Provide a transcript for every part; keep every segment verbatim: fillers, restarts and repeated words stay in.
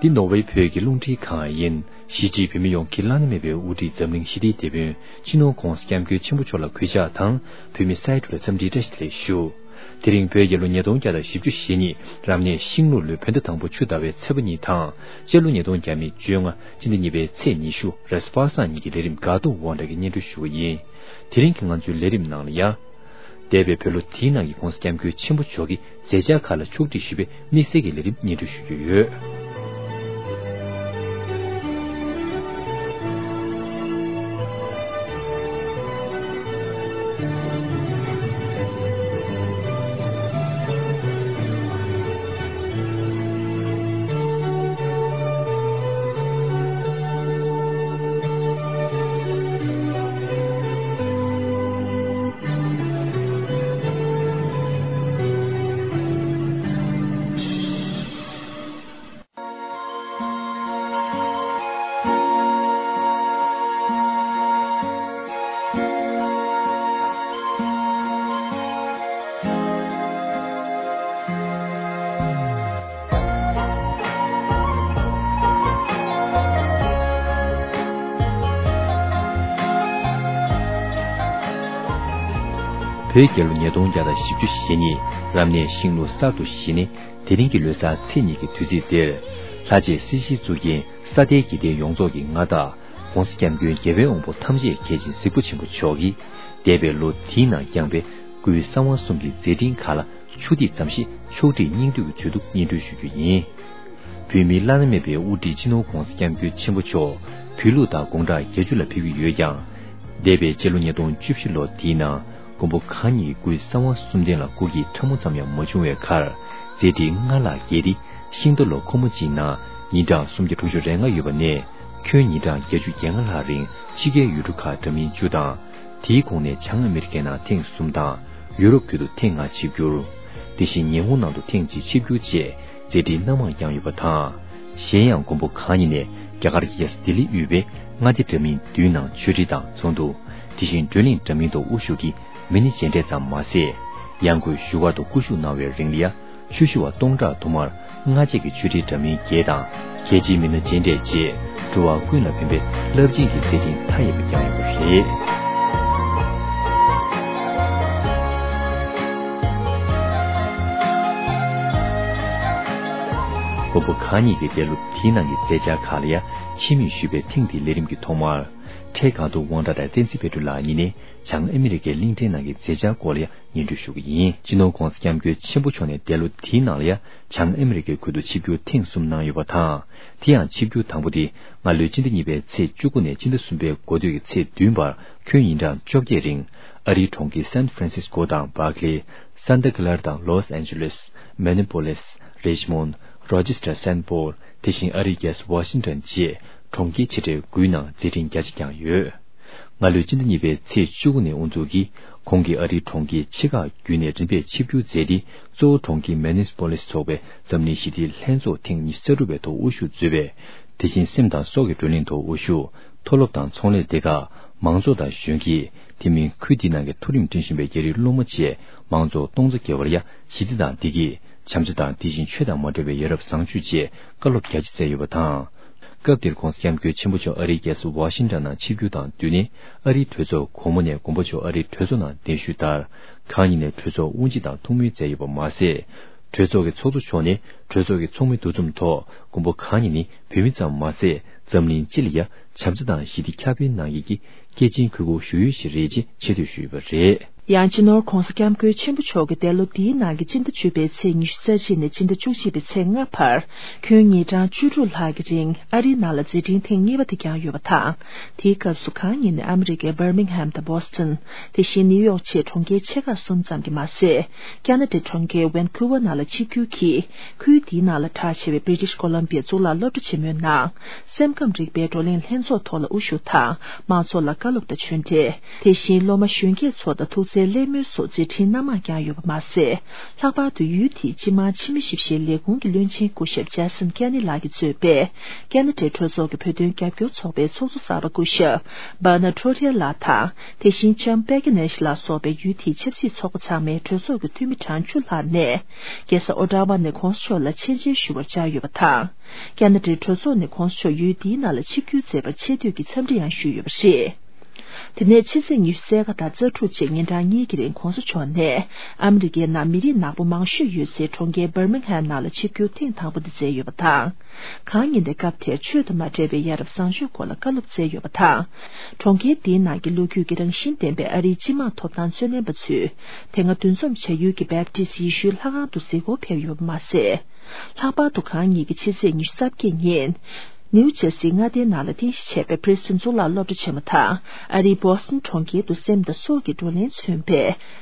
འདི་ནོར་ཝེ་བོད་ཀྱི་རླུང་འཕྲིན་ཁང་ཡིན། གཞིས་བྱེས་བོད་མི་ཡོངས་ཀྱི་བླ་ན་མེད་པའི་དབུ་ཁྲིད་འཛམ་གླིང་ཞི་བདེའི་དེད་དཔོན་སྤྱི་ནོར་༧གོང་ས་༧སྐྱབས་མགོན་ཆེན་པོ་མཆོག་ལ་གུས་ཕྱག་དང་། བོད་མི་སའི་ཁྲོད་ལ་འཚམས་འདྲིའི་བཀྲ་ཤིས་བདེ་ལེགས་ཞུ། དེ་རིང་བོད་རྒྱལ་ལོ་ཉིས་སྟོང་བརྒྱ་དང་བཞི་བཅུ་ཞེ་གཉིས་རབ་གནས་ཤིང་ལུག་ལོའི་བོད་ཟླ་དང་པོ་ཆུ་ཟླ་བའི་ཚེས་པ་གཉིས་དང་། སྤྱི་ལོ་ཉིས་སྟོང་བརྒྱ་མེད་བཅོ་ལྔ་སྤྱི་ཟླ་གཉིས་པའི་ཚེས་ཉི་ཤུ་རེས་པ་སངས་ཉིན་གྱི་ལས་རིམ་འགག་ཐོག་དབང་གྲགས་ཀྱིས་སྙན་སྒྲོན་ཞུ་གི་ཡིན། དེ་རིང་གི་ང་ཚོའི་ལས་རིམ་ནང་ལ་ཡ། འདས་པའི་བོད་ལོ་དེའི་ནང་གི་༧གོང་ས་༧སྐྱབས་མགོན་ཆེན་པོ་མཆོག་གི་མཛད་འཆར་ཁག་ལ་ཕྱོགས་སྒྲིག་ཞུས་པའི་དམིགས་བསལ་གྱི་ལས་རིམ་སྙན་སྒྲོན་ཞུ་རྒྱུ་ཡོད། བོད་རྒྱལ་ལོ་ཉིས་སྟོང་བརྒྱ་དང་བཞི་བཅུ་ཞེ་གཉིས་རབ་གནས་ཤིང་ལུག་གསར་དུ་བཞད་ནས། དེ་རིང་གི་ལོ་གསར་ཚེས་གཉིས་ཀྱི་དུས་ཚིགས་འདིར། ལྷ་རྗེ་སྲིད་ཞིའི་གཙུག་རྒྱན་ས་སྟེང་གི་སྡེ་ཡོངས་རྫོགས་ཀྱི་མངའ་བདག་༧གོང་ས་༧སྐྱབས་མགོན་རྒྱལ་བའི་དབང་པོ་ཐམས་ཅད་མཁྱེན་ཅིང་གཟིགས་པ་ཆེན་པོ་མཆོག་གིས། འདས་པའི་ལོ་དེའི་ནང་བསྐྱངས་པའི་སྐུའི་གསང་བ་གསུམ་གྱི་མཛད་འཕྲིན་ཁག་ལ་ཆུ་ཐིགས་ཙམ་ཞིག་ཕྱོགས་སྒྲིག་སྙིང་བསྡུས་ཀྱི་མཛོད་དུ་སྙན་སྒྲོན་ཞུ་རྒྱུ་ཡིན། བོད་མིའི་བླ་ན་མེད་པའི་དབུ་ཁྲིད་སྤྱི་ནོར་༧གོང་ས་༧སྐྱབས་མགོན་ཆེན་པོ་མཆོག་བོད་ལུགས་དང་དགུང་གྲངས་བརྒྱད་ཅུ་ལ་ཕེབས་ཀྱི་ཡོད་ཀྱང་། འདས་པའི་སྤྱི་ལོ་ཉིས་སྟོང་བཅུ་བཞི་ལོ་དེའི་ནང་མགོན་པོ་གང་ཉིད་ཀྱི་སྐུའི་གསང་བ་གསུམ་ལྡན་ལ་སྐུ་སྐྱེ་ཕྲ་མོ་ཙམ་ཡང་མ་བྱུང་བའི་ཁར། མཛད་འཕྲིན་སྔར་ལྷག་རྒྱས་ཏེ། ཤིང་རྟ་ལོ་འཁོར་མོ་གཅིག་ནང་ཉིན་གྲངས་སུམ་བརྒྱ་དྲུག་ཅུ་རེ་ལྔ་ཡོད་པ་ནས། ཁྱོན་ཉིན་གྲངས་བརྒྱད་ཅུ་གྱ་ལྔ་ལྷག་རིང་ཕྱི་རྒྱལ་ཡུལ་གྲུ་ཁག་འདྲ་མིན་བཅུ་དང་། དེའི་ཁོངས་ནས་བྱང་ཨ་མི་རི་ཀའི་ནང་ཐེངས་གསུམ་དང་། ཡུ་རོབ་ཁུལ་དུ་ཐེངས་ལྔ་ཆིབས་བསྒྱུར། དེ་བཞིན་ཉི་ཧོང་ནང་དུ་ཐེངས་གཅིག་ཆིབས་བསྒྱུར་བཅས་མཛད་འཕྲིན་སྣ་མང་བསྐྱངས་ཡོད་པ་དང་། གཞན་ཡང་མགོན་པོ་གང་ཉིད་ནས་རྒྱ་གར་གྱི་རྒྱལ་ས་ལྡི་ལི་དབུས་པའི་མངའ་སྡེ་འདྲ་མིན་བདུན་ནང་ཆོས་ཁྲིད་དང་ཚོགས་འདུ། དེ་བཞིན་བགྲོ་གླེང་འདྲ་མིན་ཐོག་དབུ་བཞུགས་ཀྱིས་མི་སྣ་མཇལ་འཕྲད་ཙམ་མ་ཟད། ཡང་སྒོས་བཞུགས་སྒར་དུ་སྐུ་བཞུགས་གནང་བའི་རིང་ལ་ཡ། ཆོས་ཞུ་བ་སྟོང་ཕྲག་དུ་མར་སྔ་རྗེས་ཀྱི་ཆོས་ཁྲིད་འདྲ་མིན་བརྒྱད་དང་། རྒྱལ་སྤྱིའི་མི་སྣ་མཇལ་འཕྲད་བཅས་འགྲོ་བ་ཀུན་ལ་ཕན་པའི་རླབས་ཆེན་གྱི་མཛད་འཕྲིན་མཐའ་ཡས་པ་བསྐྱངས་ཡོད་པ་རེད། མགོན་པོ་གང་ཉིད་ཀྱི་འདས་ལོ་དེའི་ནང་གི་མཛད་འཆར་ཁག་ལ་ཡ་ཕྱི་མིག་ཞུས་པའི་ཐེངས་འདིའི་ལས་རིམ་གྱི་ཐོག་མར། འཕྲལ་སྒང་དུ་དབང་གྲགས་དང་བསྟན་འཛིན་དཔལ་སྒྲོན་ལགས་གཉིས་ནས་བྱང་ཨ་མི་རི་ཀའི་གླིང་ཕྲན་ནང་གི་མཛད་འཆར་སྐོར་ལ་ཡ། སྙན་སྒྲོན་ཞུ་གི་ཡིན། སྤྱི་ནོར་༧གོང་ས་༧སྐྱབས་མགོན་ཆེན་པོ་མཆོག་ནས་འདས་ལོ་དེའི་ནང་ལ་ཡ་བྱང་ཨ་མི་རི་ཀའི་ཁུལ་དུ་ཆིབས་བསྒྱུར་ཐེངས་གསུམ་གནང་ཡོད་པ་དང་། དེ་ཡང་ཆིབས་བསྒྱུར་དང་པོ་དེ་སྔ་ལོའི་སྤྱི་ཟླ་གཉིས་པའི་ཚེས་བཅུ་དགུ་ནས་སྤྱི་ཟླ་གསུམ་པའི་འགོ་སྟོད་ཀྱི་ཚེས་བདུན་བར་ཁྱོན་ཉིན་གྲངས་བཅོ་བརྒྱད་རིང་ཨ་རིའི་གྲོང་ཁྱེར་སན་ཧྥ་རན་སིས་ཀོ་དང་བར་ཀ་ལི། སན་ཏ་ཀི་ལར་དང་ལོས་ཨན་ཇི་ལེས། མེ་ནི་པོ་ལིས། རིཆ་མོན། རོ་ཅེ་སི་ཊར། སན་པོལ། དེ་བཞིན་ཨ་རིའི་རྒྱལ་ས་ཝ་ཤིང་ཊོན་བཅས་གྲོང་ཁྱེར་ཆེ་གྲས་དགུའི་ནང་མཛད་འཕྲིན་རྒྱ་ཆེ་བསྐྱངས་ཡོད། སྔ་ལོའི་སྤྱི་ཟླ་གཉིས་པའི་ཚེས་བཅུ་དགུ་ནས་དབུ་འཛུགས་ཀྱིས་ཁོང་གིས་ཨ་རིའི་གྲོང་ཁྱེར་ཆེ་ཁག་བརྒྱུད་ནས་རིམ་པས་ཆིབས་བསྒྱུར་མཛད་དེ། གཙོ་བོ་གྲོང་ཁྱེར་མེ་ནིས་པོ་ལིས་ཚོགས་པའི་འཛམ་གླིང་ཞི་བདེའི་ལྷན་ཚོགས་ཐེངས་ཉི་ཤུ་རྩ་དྲུག་པའི་ཐོག་དབུ་བཞུགས་མཛད་པས། དེ་བཞིན་སེམས་དང་སྲོག་གི་བགྲོ་གླེང་ཐོག་དབུ་བཞུགས། མཐོ་སློབ་དང་ཚོང་ལས་སྡེ་ཁག་མང་ཚོགས་དང་གཞོན་སྐྱེས། དེ་མིན་ཁུལ་འདི་ནང་གི་མཐོ་རིམ་ཁྲིད་བཞིན་པའི་རྒྱ་རིགས་སློབ་མ་བཅས་མང་ཚོགས་སྟོང་རྩ་བརྒལ་བར་ཡ་ཞི་བདེ་དང་བདེ་སྐྱིད། བྱམས་བརྩེ་དང་དེ་བཞིན་ཆོས་དང་མ་འབྲེལ་བའི་ཡ་རབས་བཟང་སྤྱོད་བཅས་བཀའ་སློབ་རྒྱ་ཆེ་སྩལ་ཡོད་པ་དང་། སྐབས་དེར་༧གོང་ས་༧སྐྱབས་མགོན་ཆེན་པོ་མཆོག་ཨ་རིའི་རྒྱལ་ས་ཝ་ཤིང་ཊོན་ནང་ཆིབས་བསྒྱུར་དང་བསྟུན་ནས་ཨ་རིའི་གྲོས་ཚོགས་གོང་མ་ནས་མགོན་པོ་མཆོག་ཨ་རིའི་གྲོས་ཚོགས་ནང་གདན་ཞུས་ལྟར། གང་ཉིད་ནས་གྲོས་ཚོགས་དབུ་འབྱེད་དང་ཐུགས་སྨོན་མཛད་ཡོད་པ་མ་ཟད། གྲོས་ཚོགས་ཀྱི་ཚོགས་གཙོ་མཆོག་ནས་གྲོས་ཚོགས་ཀྱི་ཚོགས་མི་འདུ་འཛོམས་ཐོག་མགོན་པོ་གང་ཉིད་ནི་བོད་མི་ཙམ་མ་ཟད། འཛམ་གླིང་སྤྱི་ལ་ཡ་བྱམས་བརྩེ་དང་ཞི་བདེ་ཁྱབ་སྤེལ་གནང་མཁན་གྱི་སྐྱེས་ཆེན་ཁུ་བོ་ཞུ་ཡུལ་ཞིག་རེད་ཅེས་ཆེ་བསྟོད་ཞུས་ཡོད་པ་རེད། ཡང་སྤྱི་ནོར་༧གོང་ས་༧སྐྱབས་མགོན་ཆེན་པོ་མཆོག་གིས་འདས་ལོ་འདིའི་ནང་གི་སྤྱི་ཟླ་བཅུ་པའི་ཚེས་ཉི་ཤུ་རྩ་གཅིག་ནས་སྤྱི་ཟླ་བཅུ་གཅིག་པའི་ཚེས་ལྔ་བར་ཁྱོན་ཉིན་གྲངས་བཅུ་དྲུག་ལྷག་གི་རིང་ཨ་རིའི་ནང་ལ་མཛད་འཕྲིན་ཐེངས་གཉིས་པ་དེ་བསྐྱངས་ཡོད་པ་དང་། དེའི་སྐབས་སུ་གང་ཉིད་ནས་ཨ་མི་རི་ཀའི་བར་མིང་ཧམ་དང་བྷོ་སི་ཊོན། དེ་བཞིན་ནིའུ་ཡོག་བཅས་གྲོང་ཁྱེར་ཆེ་ཁག་གསུམ་ཙམ་གྱིས་མ་ཟད། ཁ་ན་ཌའི་གྲོང་ཁྱེར་ཝན་ཁུ་ཝར་ནང་ལ་ཆིབས་བསྒྱུར་གྱིས། ཁུལ་འདིའི་ནང་ལ་གྲགས་ཆེ་བའི་British Columbia་གཙུག་ལག་སློབ་གྲྭ་ཆེན་མོའི་ནང་། སེམས་ཁམས་རིག་པའི་བགྲོ་གླེང་ལྷན་ཚོགས་ཐོག་ལ་དབུ་བཞུགས་དང་། མང་ཚོགས་ལ་བཀའ་སློབ་དང་ཆོས་འབྲེལ། དེ་བཞིན་སློབ་མ་གཞོན་སྐྱེས་ཚོ་དང་ཐུག་འཕྲད། གླེང་མོལ་སོགས་མཛད་འཕྲིན་སྣ་མང་བསྐྱངས་ཡོད་པ་མ་ཟད། ལྷག་པར་དུ་ཡུལ་དེའི་སྤྱི་དམངས་ཕྱི་མི་ཞིབ་བཤེར་ལས་ཁུངས་ཀྱི་བློན་ཆེན་སྐུ་ཞབས་ཇེ་སན་ཁེ་ནི་ལགས་ཀྱིས་གཙོས་པའི་ཁེ་ན་ཌའི་གྲོས་ཚོགས་ཀྱི་བོད་དོན་རྒྱབ་སྐྱོར་ཚོགས་པའི་ཚོགས་གཙོ་གསར་པ་སྐུ་ཞབས་Bernard Trotter་ལགས་དང་། དེ་བཞིན་ལྕམ་པེ་ཀེ་ནེ་ཤི་ལགས་སོགས་པའི་ཡུལ་དེའི་ཆབ་སྲིད་ཚོགས་པ་ཚང་མའི་གྲོས་ཚོགས་ཀྱི་འཐུས་མི་གྲངས་བཅུ་ལྷག་ནས། རྒྱལ་ས་ཨོ་ཊ་ཝ་ནས་གོང་ས་མཆོག་ལ་མཆན་འཇལ་ཞུ་བར་བཅར་ཡོད་པ་དང་། ཁེ་ན་ཌའི་གྲོས་ཚོགས་ནས་གོང་ས་མཆོག་ཡུལ་དེའི་ནང་ལ་ཆིབས་བསྒྱུར་མཛད་པར་ཆེ་བསྟོད་ཀྱི་འཚམས་འདྲི་ཡང་ཞུས་ཡོད་པ་རེད། དེ་ནས་ཕྱི་ཚེས་ཉི་ཤུ་རྩ་ལྔ་དང་རྩ་དྲུག་བཅས་ཉིན་གྲངས་གཉིས་ཀྱི་རིང་གོང་ས་མཆོག་ནས་ཨ་མི་རི་ཀའི་ནང་མི་རིགས་ནག་པོ་མང་ཤོས་ཡོད་སའི་གྲོང་ཁྱེར་Birmingham་ནང་ལ་ཆིབས་བསྒྱུར་ཐེངས་དང་པོ་དེ་མཛད་ཡོད་པ་དང་། གང་ཡིན་ཏེ་སྐབས་དེར་ཆོས་དང་མ་འབྲེལ་བའི་ཡ་རབས་བཟང་སྤྱོད་སྐོར་ལ་བཀའ་སློབ་སྩལ་ཡོད་པ་དང་། གྲོང་ཁྱེར་དེའི་ནང་གི་ལོ་རྒྱུས་ཀྱི་རང་བཞིན་ལྡན་པའི་ཨ་རིའི་སྤྱི་དམངས་ཐོབ་ཐང་རྩོད་ལེན་པ་ཚོས་དེ་སྔ་འདུ་འཛོམས་བྱ་ཡུལ་གྱི་བེབ་ཏི་སི་ཡེ་ཤུའི་ལྷ་ཁང་དུ་གཟིགས་སྐོར་ཕེབས་ཡོད་པ་མ་ཟད། ལྷག་པར་དུ་གང་ཉིད་ཀྱི་ཕྱི་ཚེས་ཉི་ཤུ་རྩ་བརྒྱད་ཉིན། ནིའུ་ཇར་སིའི་མངའ་སྡེའི་ནང་ལ་རྟེན་གཞི་བྱས་པའི་Princeton་གཙུག་ལག་སློབ་གྲྭ་ཆེན་མོ་དང་ཨ་རིའི་Boston་གྲོང་ཁྱེར་དུ་སེམས་དང་སྲོག་གི་བགྲོ་གླེང་མཚོན་པའི་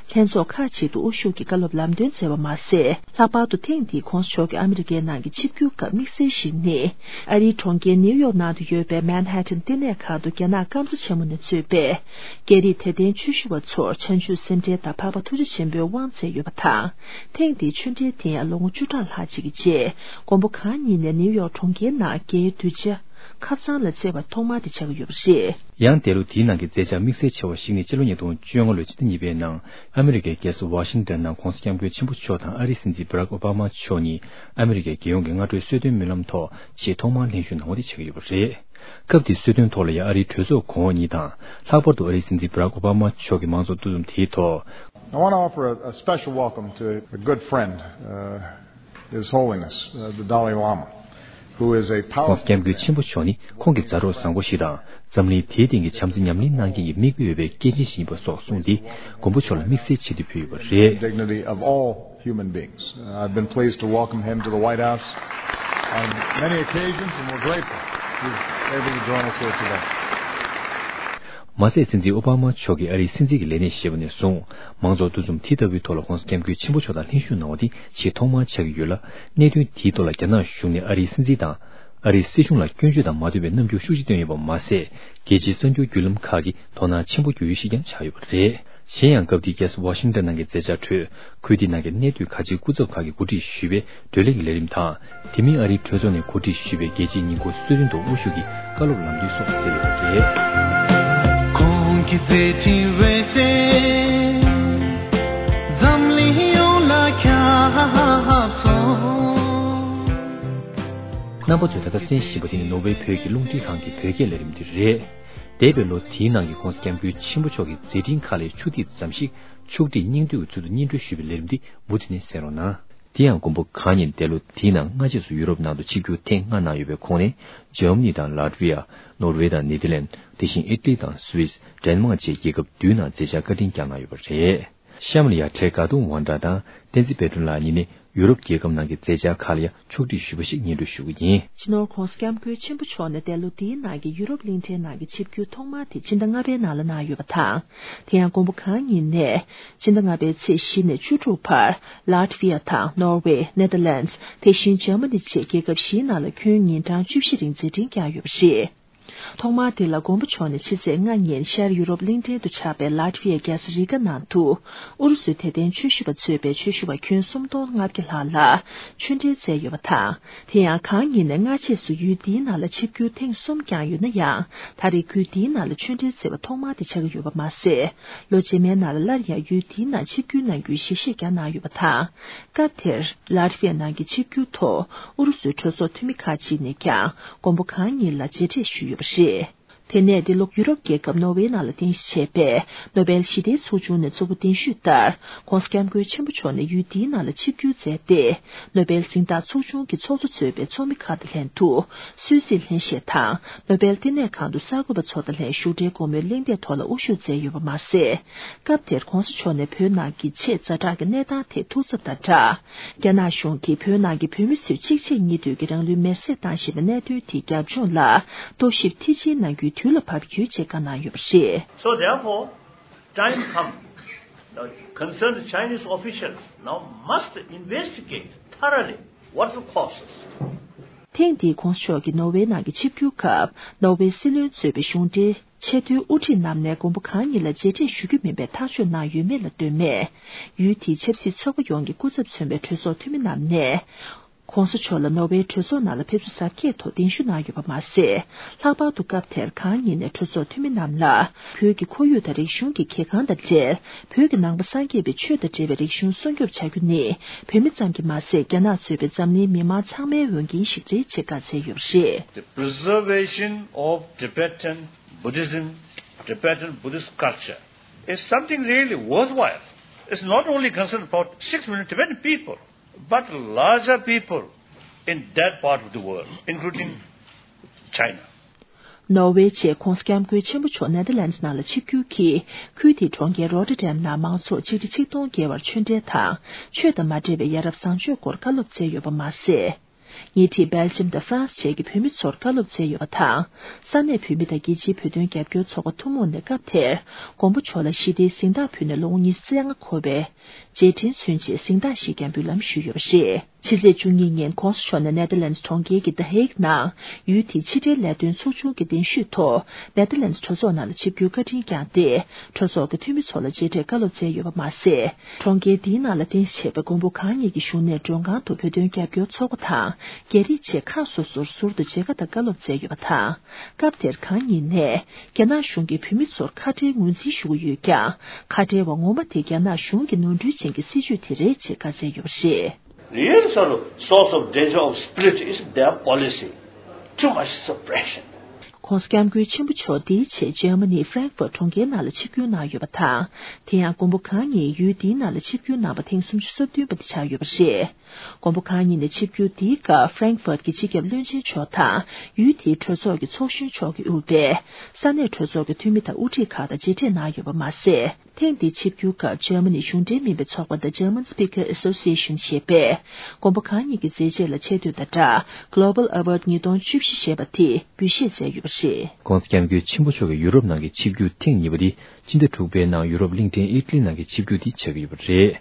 ལྷན་ཚོགས་ཁག་ཅིག་ཏུ་དབུ་བཞུགས་ཀྱི་བཀའ་སློབ་ལམ་སྟོན་མཛད་པ་མ་ཟད། ལྷག་པར་དུ་ཐེངས་འདིའི་གོང་ས་མཆོག་གི་ཨ་མི་རི་ཀའི་ནང་གི་ཆིབས་བསྒྱུར་སྐབས་དམིགས་བསལ་ཞིག་ནི། ཨ་རིའི་གྲོང་ཁྱེར་ནིའུ་ཡོག་ནང་དུ་ཡོད་པའི་Manhattan་བསྟི་གནས་ཁང་དུ་རྒྱ་ནག་སྐམ་ས་ཆེན་མོ་ནས་གཙོས་པའི་རྒྱ་རིགས་དད་ལྡན་ཆོས་ཞུ་བ་ཚོར་བྱང་ཆུབ་སེམས་ཁྲལ་དང་འཕགས་པ་ཐུགས་རྗེ་ཆེན་པོའི་དབང་སྩལ་ཡོད་པ་དང་། ཐེངས་འདིའི་ཆོས་འབྲེལ་དེ་ཡང་ལོ་ངོ་བཅུ་ཕྲག་ལྷག་ཅིག་གི་རྗེས། མགོན་པོ་གང་ཉིད་ནས་ནིའུ་ཡོག་གྲོང་ཁྱེར་ནང་རྒྱའི་གདུལ་བྱ་ཁ་སང་ལ་བསྩལ་བ་ཐོག་མ་དེ་ཆགས་ཀྱི་ཡོད་པ་རེད། ཡང་འདས་ལོ་དེའི་ནང་གི་མཛད་འཆར་དམིགས་བསལ་ཆེ་བ་ཞིག་ནི་སྤྱི་ལོ་ཉིས་སྟོང་བཅོ་ལྔ་ལོའི་ཕྱི་ཟླ་གཉིས་པའི་ནང་ཨ་མི་རི་ཀའི་རྒྱལ་ས་ཝ་ཤིང་ཏོན་ནང་གོང་ས་སྐྱབས་མགོན་ཆེན་པོ་མཆོག་དང་ཨ་རིའི་སྲིད་འཛིན་Barack Obama་མཆོག་གཉིས་ཨ་མི་རི་ཀའི་རྒྱལ་ཡོངས་ཀྱི་སྔ་དྲོའི་གསོལ་སྟོན་སྨོན་ལམ་ཐོག་ཆེས་ཐོག་མར་ལྷན་ཞུགས་གནང་བ་དེ་ཆགས་ཀྱི་ཡོད་པ་རེད། སྐབས་དེའི་གསོལ་སྟོན་ཐོག་ལ་ཡང་ཨ་རིའི་གྲོས་ཚོགས་གོང་འོག་གཉིས་དང་། ལྷག་པར་དུ་ཨ་རིའི་སྲིད་འཛིན་Barack Obama་མཆོག་གི་མང་ཚོགས་འདུ་འཛོམས་དེའི་ཐོག I want to offer a, a special welcome to a good friend, uh, His Holiness, uh, the Dalai Lama, who is a powerful man. ྋགོང་ས་ྋསྐྱབས་མགོན་ཆེན་པོ་མཆོག་ནི་ཁོང་གི་མཛའ་གྲོགས་བཟང་པོ་ཞིག་དང་། འཛམ་གླིང་དེའི་སྟེང་གི་བྱམས་བརྩེ་ཉམས་ལེན་གནང་མཁན་གྱི་མིག་དཔེ་ཡོད་པའི་སྐྱེས་ཆེན་ཞིག་ཡིན་པ་སོགས་གསུངས་ཏེ། མགོན་པོ་མཆོག་ལ་དམིགས་བསལ་ཆེ་བསྟོད་ཕུལ་ཡོད་པ་རེད། Dignity of all human beings. Uh, I've been pleased to welcome him to the White House on many occasions, and we're grateful he's able to join us here today. མ་ཟད་སྲིད་འཛིན་ཨོ་བྷ་མ་མཆོག་གིས་ཨ་རིའི་སྲིད་འཛིན་གྱི་ལས་གནས་བཞེས་པ་ནས་བཟུང་། མང་ཚོགས་འདུ་འཛོམས་དེ་ལྟ་བུའི་ཐོག་ལ་ྋགོང་ས་ྋསྐྱབས་མགོན་ཆེན་པོ་མཆོག་དང་ལྷན་ཞུགས་གནང་བ་དེ་ཆེས་ཐོག་མར་ཆགས་ཀྱི་ཡོད་ལ། གནད་དོན་དེའི་ཐོག་ལ་རྒྱ་ནག་གཞུང་ནས་ཨ་རིའི་སྲིད་འཛིན་དང་། ཨ་རིའི་སྲིད་གཞུང་ལ་སྐྱོན་བརྗོད་དང་མ་འདོད་པའི་རྣམ་འགྱུར་ཤུགས་ཆེ་བཏོན་ཡོད་པ་མ་ཟད། རྒྱལ་སྤྱིའི་གསར་འགྱུར་བརྒྱུད་ལམ་ཁག་གིས་དོ་སྣང་ཆེན་པོ་བསྐྱོན་ཡུལ་ཞིག་ཀྱང་ཆགས་ཡོད་པ་རེད། གཞན་ཡང་སྐབས་དེའི་རྒྱལ་ས་ཝ་ཤིང་ཏོན་ནང་གི་མཛད་འཆར་ཁྲོད། ཁུལ་དེའི་ནང་གི་གནས་སྡོད་ཁ་ཆེའི་སྐུ་ཚབ་ཁག་གིས་གོ་སྒྲིག་ཞུས་པའི་བགྲོ་གླེང་གི་ལས་རིམ་དང་། དེ་མིན་ཨ་རིའི་གྲོས་ཚོགས་ནས་གོ་སྒྲིག་ཞུས་པའི་རྒྱལ་སྤྱིའི་ཉིན་གུང་གསོལ་སྟོན་དུ་དབུ་བཞུགས་ཀྱིས་བཀའ་སློབ་ལམ་སྟོན་སོགས་མཛད་ཡོད་པ་རེད། ཁོང་གི་མཛད་འཕྲིན་འོད་ཟེར་འཛམ་གླིང་ཡོངས་ལ་ཁྱབ་སོང་། རྣམ་པ་ཚོས་ད་ལྟ་གསན་བཞིན་པ་དེ་ནི་ནོར་ཝེ་བོད་ཀྱི་རླུང་འཕྲིན་ཁང་གི་བོད་སྐད་ལས་རིམ་དེ་རེད། འདས་པའི་ལོ་དེའི་ནང་གི་ྋགོང་ས་ྋསྐྱབས་མགོན་ཆེན་པོ་མཆོག་གི་མཛད་འཕྲིན་ཁག་ལས་ཕྱོགས་སྒྲིག་ཙམ་ཞིག་ཕྱོགས་སྒྲིག་སྙིང་བསྡུས་ཀྱི་ཚུལ་དུ་སྙན་སྒྲོན་ཞུས་པའི་ལས་རིམ་འདི་མུ་མཐུད་ནས་གསན་རོགས་གནང་། དེ་ཡང་མགོན་པོ་གང་ཉིད་འདས་ལོ་དེའི་ནང་སྔ་རྗེས་སུ་ཡུ་རོབ་ནང་དུ་ཆིབས་བསྒྱུར་ཐེངས་ལྔ་གནང་ཡོད་པའི་ཁོངས་ནས་འཇར་མ་ནི་དང་ལ་ཏི་ཝི་ཡ། ནོར་ཝེ་དང་ནེ་དར་ལན། དེ་བཞིན་ཨི་ཊ་ལི་དང་སུད་སི། ཌེན་མག་བཅས་རྒྱལ་ཁབ་བདུན་ནང་མཛད་འཆར་བཀའ་དྲིན་བསྐྱངས་གནང་ཡོད་པ་རེད། གཤམ་ལ་ཡ་ཊེ་ག་ཏུང་ཝན་ཀྲ་དང་བསྟན་འཛིན་དཔལ་སྒྲོན་ལགས་གཉིས་ནས་ཡུ་རོབ་རྒྱལ་ཁབ་ནང་གི་མཛད་འཆར་ཁག་ལ་ཡང་ཕྱོགས་སྒྲིག་ཞུས་པ་ཞིག་སྙན་སྒྲོན་ཞུ་གི་ཡིན། སྤྱི་ནོར་ྋགོང་ས་ྋསྐྱབས་མགོན་ཆེན་པོ་མཆོག་ནས་འདས་ལོ་འདིའི་ནང་གི་ཡུ་རོབ་གླིང་ཕྲན་ནང་གི་ཆིབས་བསྒྱུར་ཐོག་མ་དེ་ཕྱི་ཟླ་ལྔ་པའི་ནང་ལ་གནང་ཡོད་པ་དང་། དེ་ཡང་མགོན་པོ་གང་ཉིད་ནས་ཕྱི་ཟླ་ལྔ་པའི་ཚེས་བཞི་ནས་བཅུ་དྲུག་བར་ལ་ཏི་ཝི་ཡ་དང་ནོར་ཝེ། ནེ་དར་ལན། དེ་བཞིན་འཇར་མ་ནི་བཅས་རྒྱལ་ཁབ་བཞིའི་ནང་ལ་ཁྱོན་ཉིན་གྲངས་བཅུ་བཞི་རིང་མཛད་འཕྲིན་བསྐྱངས་ཡོད་པ་རེད། ཐོག་མར་དེ་ལ་མགོན་པོ་མཆོག་ནས་ཕྱི་ཚེས་ལྔ་ཉིན་ཤར་ཡུ་རོབ་གླིང་ཕྲན་དུ་ཆགས་པའི་ལ་ཏི་ཝི་ཡའི་རྒྱལ་ས་རི་ག་ནང་དུ་ཨུ་རུ་སུའི་དད་ལྡན་ཆོས་ཞུ་བ་གཙོས་པའི་ཆོས་ཞུ་བ་ཁྱོན་སུམ་སྟོང་ལྔ་བརྒྱ་ལྷག་ལ་ཆོས་འབྲེལ་མཛད་ཡོད་པ་དང་། དེ་ཡང་གང་ཉིད་ནས་སྔ་རྗེས་སུ་ཡུལ་འདིའི་ནང་ལ་ཆིབས་བསྒྱུར་ཐེངས་གསུམ་བསྐྱངས་ཡོད་ན་ཡང་། ད་རེས་ཁུལ་འདིའི་ནང་ལ་ཆོས་འབྲེལ་མཛད་པ་ཐོག་མ་དེ་ཆགས་ཀྱི་ཡོད་པ་མ་ཟད། ལོ་རྗེས་མའི་ནང་ལ་སླར་ཡང་ཡུལ་འདིའི་ནང་ཆིབས་བསྒྱུར་གནང་རྒྱུའི་ཞལ་བཞེས་ཀྱང་གནང་ཡོད་པ་དང་། སྐབས་དེར་ལ་ཏི་ཝི་ཡའི་ནང་གི་ཆིབས་བསྒྱུར་ཐོག་ཨུ་རུ་སུའི་གྲོས་ཚོགས་འཐུས་མི་ཁག་ཅིག་ནས་ཀྱང་མགོན་པོ་གང་ཉིད་ལ་མཇལ་འཕྲད་ཞུས་ཡོད་པ་རེད། དེ་ནས་འདི་ལོ་ཡུ་རོབ་རྒྱལ་ཁབ་ནོར་ཝེ་ནང་ལ་རྟེན་གཞི་བྱས་པའི་ནོ་བེལ་ཞི་བདེའི་ཚོགས་ཆུང་ནས་གཙོ་བོ་གདན་ཞུས་ལྟར་ྋགོང་ས་ྋསྐྱབས་མགོན་ཆེན་པོ་མཆོག་ནས་ཡུལ་འདིའི་ནང་ལ་ཆིབས་བསྒྱུར་མཛད་དེ། ནོ་བེལ་གཟེངས་རྟགས་ཚོགས་ཆུང་གི་ཚོགས་གཙོ་གཙོས་པའི་ཚོགས་མི་ཁག་དང་ལྷན་དུ་སུད་སིའི་ལྷན་བཞེས་དང་ནོ་བེལ་བསྟི་གནས་ཁང་དུ་གསར་འགོད་པ་ཚོ་དང་ལྷན་བཞུགས་གྲལ་སྒོ་མོའི་གླེང་སྟེགས་ཐོག་ལ་དབུ་བཞུགས་མཛད་ཡོད་པ་མ་ཟད། སྐབས་དེར་ྋགོང་ས་མཆོག་ནས་བོད་ནང་གི་ཆེས་ཛ་དྲག་གི་གནས་སྟངས་ཐད་ཐུགས་འཚབ་དང་སྦྲགས། རྒྱ་ནག་གཞུང་གིས་བོད་ནང་གི་བོད་མི་ཚོས་གཅིག་རྗེས་གཉིས་མཐུད་ཀྱིས་རང་ལུས་མེར་སྲེག་བཏང་བཞིན་པའི་གནད་དོན་དེའི་རྒྱབ་ལྗོངས་ལ་རྟོག་ཞིབ་མཐིལ་ཕྱིན་གནང་རྒྱུའི་དུས་ལ་བབ་ཡོད་ཅེས་བཀའ་གནང་ཡོད་པ་རེད། So therefore, time come, the concerned Chinese officials now must investigate thoroughly what's the causes. ཐེངས་འདིའི་༧གོང་ས་མཆོག་གི་ནོར་ཝེ་ནང་གི་ཆིབས་བསྒྱུར་སྐབས། ནོར་ཝེ་སྲིད་བློན་གཙོས་པའི་གཞུང་འབྲེལ་ཆེས་མཐོའི་དབུ་ཁྲིད་རྣམས་ནས་མགོན་པོ་གང་ཉིད་ལ་མཇལ་འཕྲད་ཞུ་རྒྱུ་མིན་པའི་ཐག་གཅོད་གནང་ཡོད་མེད་ལ་ལྟོས་མེད། ཡུལ་དེའི་ཆབ་སྲིད་ཚོགས་པ་ཡོངས་ཀྱི་སྐུ་ཚབ་མཚོན་པའི་གྲོས་ཚོགས་འཐུས་མི་རྣམས་ནས། ྋགོང་ས་མཆོག་ལ་ནོར་ཝེའི་གྲོས་ཚོགས་ནང་ལ་ཕེབས་བསུ་གཟབ་རྒྱས་ཐོག་གདན་ཞུ་གནང་ཡོད་པ་མ་ཟད། ལྷག་པར་དུ་སྐབས་དེར་གང་ཉིད་ནས་གྲོས་ཚོགས་འཐུས་མི་རྣམས་ལ། བོད་ཀྱི་ཁོར་ཡུག་དང་རིག་གཞུང་གི་གལ་འགངས་དང་འབྲེལ། བོད་ཀྱི་ནང་པ་སངས་རྒྱས་པའི་ཆོས་དང་འབྲེལ་བའི་རིག་གཞུང་སྲུང་སྐྱོབ་བྱ་རྒྱུ་ནི། བོད་མི་ཙམ་གྱིས་མ་ཟད། རྒྱ་ནག་གཙོས་པའི་འཛམ་གླིང་མི་མང་ཚང་མའི་འོས་འགན་ཞིག་རེད་ཅེས་བཀའ་སྩལ་ཡོད་པ་རེད། The preservation of Tibetan Buddhism, Tibetan Buddhist culture is something really worthwhile. It's not only concerned about six million Tibetan people, but larger people in that part of the world, including China. ནོར་ཝེ་བཅས་༧གོང་ས་༧སྐྱབས་མགོན་ཆེན་པོ་མཆོག་ནེ་དར་ལན་ཌི་ནང་ལ་ཆིབས་བསྒྱུར་གྱིས། ཁུལ་དེའི་གྲོང་ཁྱེར་རོ་ཊར་ཌེམ་ནང་མང་ཚོགས་ཆིག་ཁྲི་ཆིག་སྟོང་བརྒལ་བར་ཆོས་འབྲེལ་དང་། ཆོས་དང་མ་འབྲེལ་བའི་ཡ་རབས་བཟང་སྤྱོད་སྐོར་བཀའ་སློབ་སྩལ་ཡོད་པ་མ་ཟད། ཉེ་འཁྲིས་སྦེལ་ཇམ་དང་ཧྥ་རན་སི་བཅས་ཀྱི་བོད་མི་ཚོར་བཀའ་སློབ་སྩལ་ཡོད་པ་དང་། ས་གནས་བོད་མི་དང་རྒྱལ་སྤྱིའི་བོད་དོན་རྒྱབ་སྐྱོར་ཚོགས་པ་ཐུན་མོང་ནས་སྐབས་དེར། མགོན་པོ་མཆོག་ལ་ཞི་བདེའི་གཟེངས་རྟགས་ཕུལ་ནས་ལོ་ངོ་ཉི་ཤུ་རྩ་ལྔ་འཁོར་བའི་རྗེས་དྲན་མཚོན་ཆེད་གཟེངས་རྟགས་ཤིག་ཀྱང་འབུལ་ལམ་ཞུས་ཡོད་པ་རེད། ཕྱི་ཚེས་བཅུ་གཉིས་ཉིན་༧གོང་ས་མཆོག་ནས་ནེ་དར་ལན་ཌི་གྲོང་ཁྱེར་གྱི་The Hague་ནང་ཡུལ་དེའི་ཕྱི་འབྲེལ་ལས་དོན་ཚོགས་ཆུང་གི་གདན་ཞུས་ཐོག་ནེ་དར་ལན་ཌི་གྲོས་ཚོགས་ནང་ལ་ཆིབས་བསྒྱུར་བཀའ་དྲིན་བསྐྱངས་ཏེ། གྲོས་ཚོགས་ཀྱི་འཐུས་མི་ཚོ་ལ་མཇལ་འཕྲད་བཀའ་སློབ་སྩལ་ཡོད་པ་མ་ཟད། གྲོང་ཁྱེར་འདིའི་ནང་ལ་རྟེན་གཞི་བྱས་པའི་མགོན་པོ་གང་ཉིད་ཀྱི་བཞུགས་གནས་མགྲོན་ཁང་དུ་བོད་དོན་རྒྱབ་སྐྱོར་ཚོགས་པ་དང་། རྒྱ་རིགས་བཅས་ཁག་སོ་སོར་ཟུར་དུ་མཇལ་ཁ་དང་བཀའ་སློབ་སྩལ་ཡོད་པ་དང་། སྐབས་དེར་གང་ཉིད་ནས་རྒྱ་ནག་གཞུང་གིས་བོད་མི་ཚོར་ཁ་བྲལ་ངོས་འཛིན་ཞུ་གི་ཡོད་ཀྱང་། ཁ་བྲལ་བ་ངོ་མ་དེ་རྒྱ་ནག་གཞུང་གི་ནོར་འཁྲུལ་ཅན་གྱི་སྲིད་བྱུས་དེ་རེད་ཅེས་བཀའ་སྩལ་ཡོད་པ་རེད། Real sort of source of danger of split is their policy. Too much suppression. ྋགོང་ས་༧སྐྱབས་མགོན་ཆེན་པོ་མཆོག་འདིའི་ཆེད་ཇར་མ་ནི་ཧྥ་རན་ཁ་ཕུར་གྲོང་ཁྱེར་ནང་ལ་ཆིབས་བསྒྱུར་གནང་ཡོད་པ་དང་། དེ་ཡང་མགོན་པོ་གང་ཉིད་ཡུལ་འདིའི་ནང་ལ་ཆིབས་བསྒྱུར་གནང་པ་ཐེངས་སུམ་ཅུ་སོ་བདུན་པ་དེ་ཆགས་ཡོད་པ་རེད། མགོན་པོ་གང་ཉིད་ནས་ཆིབས་བསྒྱུར་འདིའི་སྐབས་ཧྥ་རན་ཁ་ཕུར་གྱི་སྤྱི་ཁྱབ་བློན་ཆེན་མཆོག་དང་ཡུལ་དེའི་གྲོས་ཚོགས་ཀྱི་ཚོགས་གཞོན་མཆོག་གིས་དབུས་པའི་ས་གནས་གྲོས་ཚོགས་ཀྱི་འཐུས་མི་དང་དབུ་ཁྲིད་ཁག་དང་མཇལ་འཕྲད་གནང་ཡོད་པ་མ་ཟད། ཐེངས་འདིའི་ཆིབས་བསྒྱུར་སྐབས་ཇར་མ་ནི་གཞུང་འབྲེལ་མིན་པའི་ཚོགས་པ་The German Speaker Association ཞེས་པས། མགོན་པོ་གང་ཉིད་ཀྱི་མཛད་རྗེས་ལ་ཆེ་བསྟོད་དང་སྦྲགས། Global Award ཉིས་སྟོང་བཅུ་བཞི་ཞེས་པ་དེ་འབུལ་བཞེས་མཛད་ཡོད་པ་རེད། ྋགོང་ས་ྋསྐྱབས་མགོན་ཆེན་པོ་མཆོག་གིས་ཡུ་རོབ་ནང་གི་ཆིབས་བསྒྱུར་ཐེངས་གཉིས་པ་དེ་སྤྱི་ཟླ་དྲུག་པའི་ནང་ཡུ་རོབ་གླིང་ཕྲན་ཨི་ཊ་ལི་ནང་གི་ཆིབས་བསྒྱུར་དེ་ཆགས་ཀྱི་ཡོད་པ་རེད།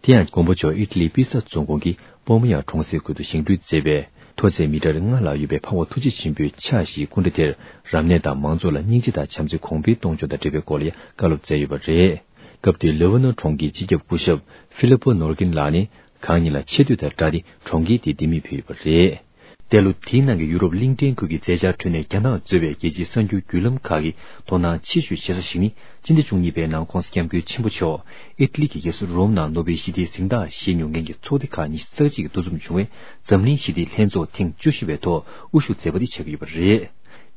དེ་ཡང་མགོན་པོ་མཆོག་ཨི་ཊ་ལིའི་པི་ས་རྫོང་ཁོངས་ཀྱི་པོ་མི་ཡ་གྲོང་གསེབ་ཁུལ་དུ་བཞེངས་སྐྲུན་མཛད་པའི་མཐོ་ཚད་མི་ཊར་ལྔ་ལྷག་ཡོད་པའི་འཕགས་པ་ཐུགས་རྗེ་ཆེན་པོའི་ཕྱག་བཞེས་སྐུ་འདྲ་དེར་རབ་གནས་དང་མང་ཚོགས་ལ་སྙིང་རྗེ་དང་བྱམས་བརྩེ་གོང་འཕེལ་གཏོང་ཕྱོགས་དང་འབྲེལ་བའི་སྐོར་ལ་ཡང་བཀའ་སློབ་སྩལ་ཡོད་པ་རེད། སྐབས་དེར་ལེ་བྷ་ནོན་གྲོང་ཁྱེར་སྤྱི་ཁྱབ་སྐུ་ཞབས་ཧྥི་ལི་པོ་ནོར་ཀིན་ལགས་ནས་གང་ཉིད་ལ་ཆེ་བསྟོད་དང་སྦྲགས་ཏེ་གྲོང་ཁྱེར་དེའི་ལྡེ་མིག་ཕུལ་ཡོད་པ་རེད། འདས་ལོ་དེའི་ནང་གི་ཡུ་རོབ་གླིང་ཕྲན་ཁུལ་གྱི་མཛད་འཆར་ཁྲོད་ནས་རྒྱ་ནག་གཙོས་པའི་རྒྱལ་སྤྱིའི་གསར་འགྱུར་བརྒྱུད་ལམ་ཁག་གིས་དོ་སྣང་ཆེ་ཤོས་བྱེད་ས་ཞིག་ནི། སྤྱི་ཟླ་བཅུ་གཉིས་པའི་ནང་ྋགོང་ས་ྋསྐྱབས་མགོན་ཆེན་པོ་མཆོག་ཨི་ཊ་ལི་གི་རྒྱལ་ས་རོམ་ནང་ནོ་བེལ་ཞི་བདེའི་གཟེངས་རྟགས་བཞེས་མྱོང་མཁན་གྱི་ཚོགས་སྡེ་ཁག་ཉི་ཤུ་རྩ་གཅིག་གིས་འདུ་འཛོམས་བྱུང་བའི་འཛམ་གླིང་ཞི་བདེའི་ལྷན་ཚོགས་ཐེངས་བཅུ་བཞི་པའི་ཐོག་དབུ་བཞུགས་མཛད་པ་དེ་ཆགས་ཀྱི་ཡོད་པ་རེད།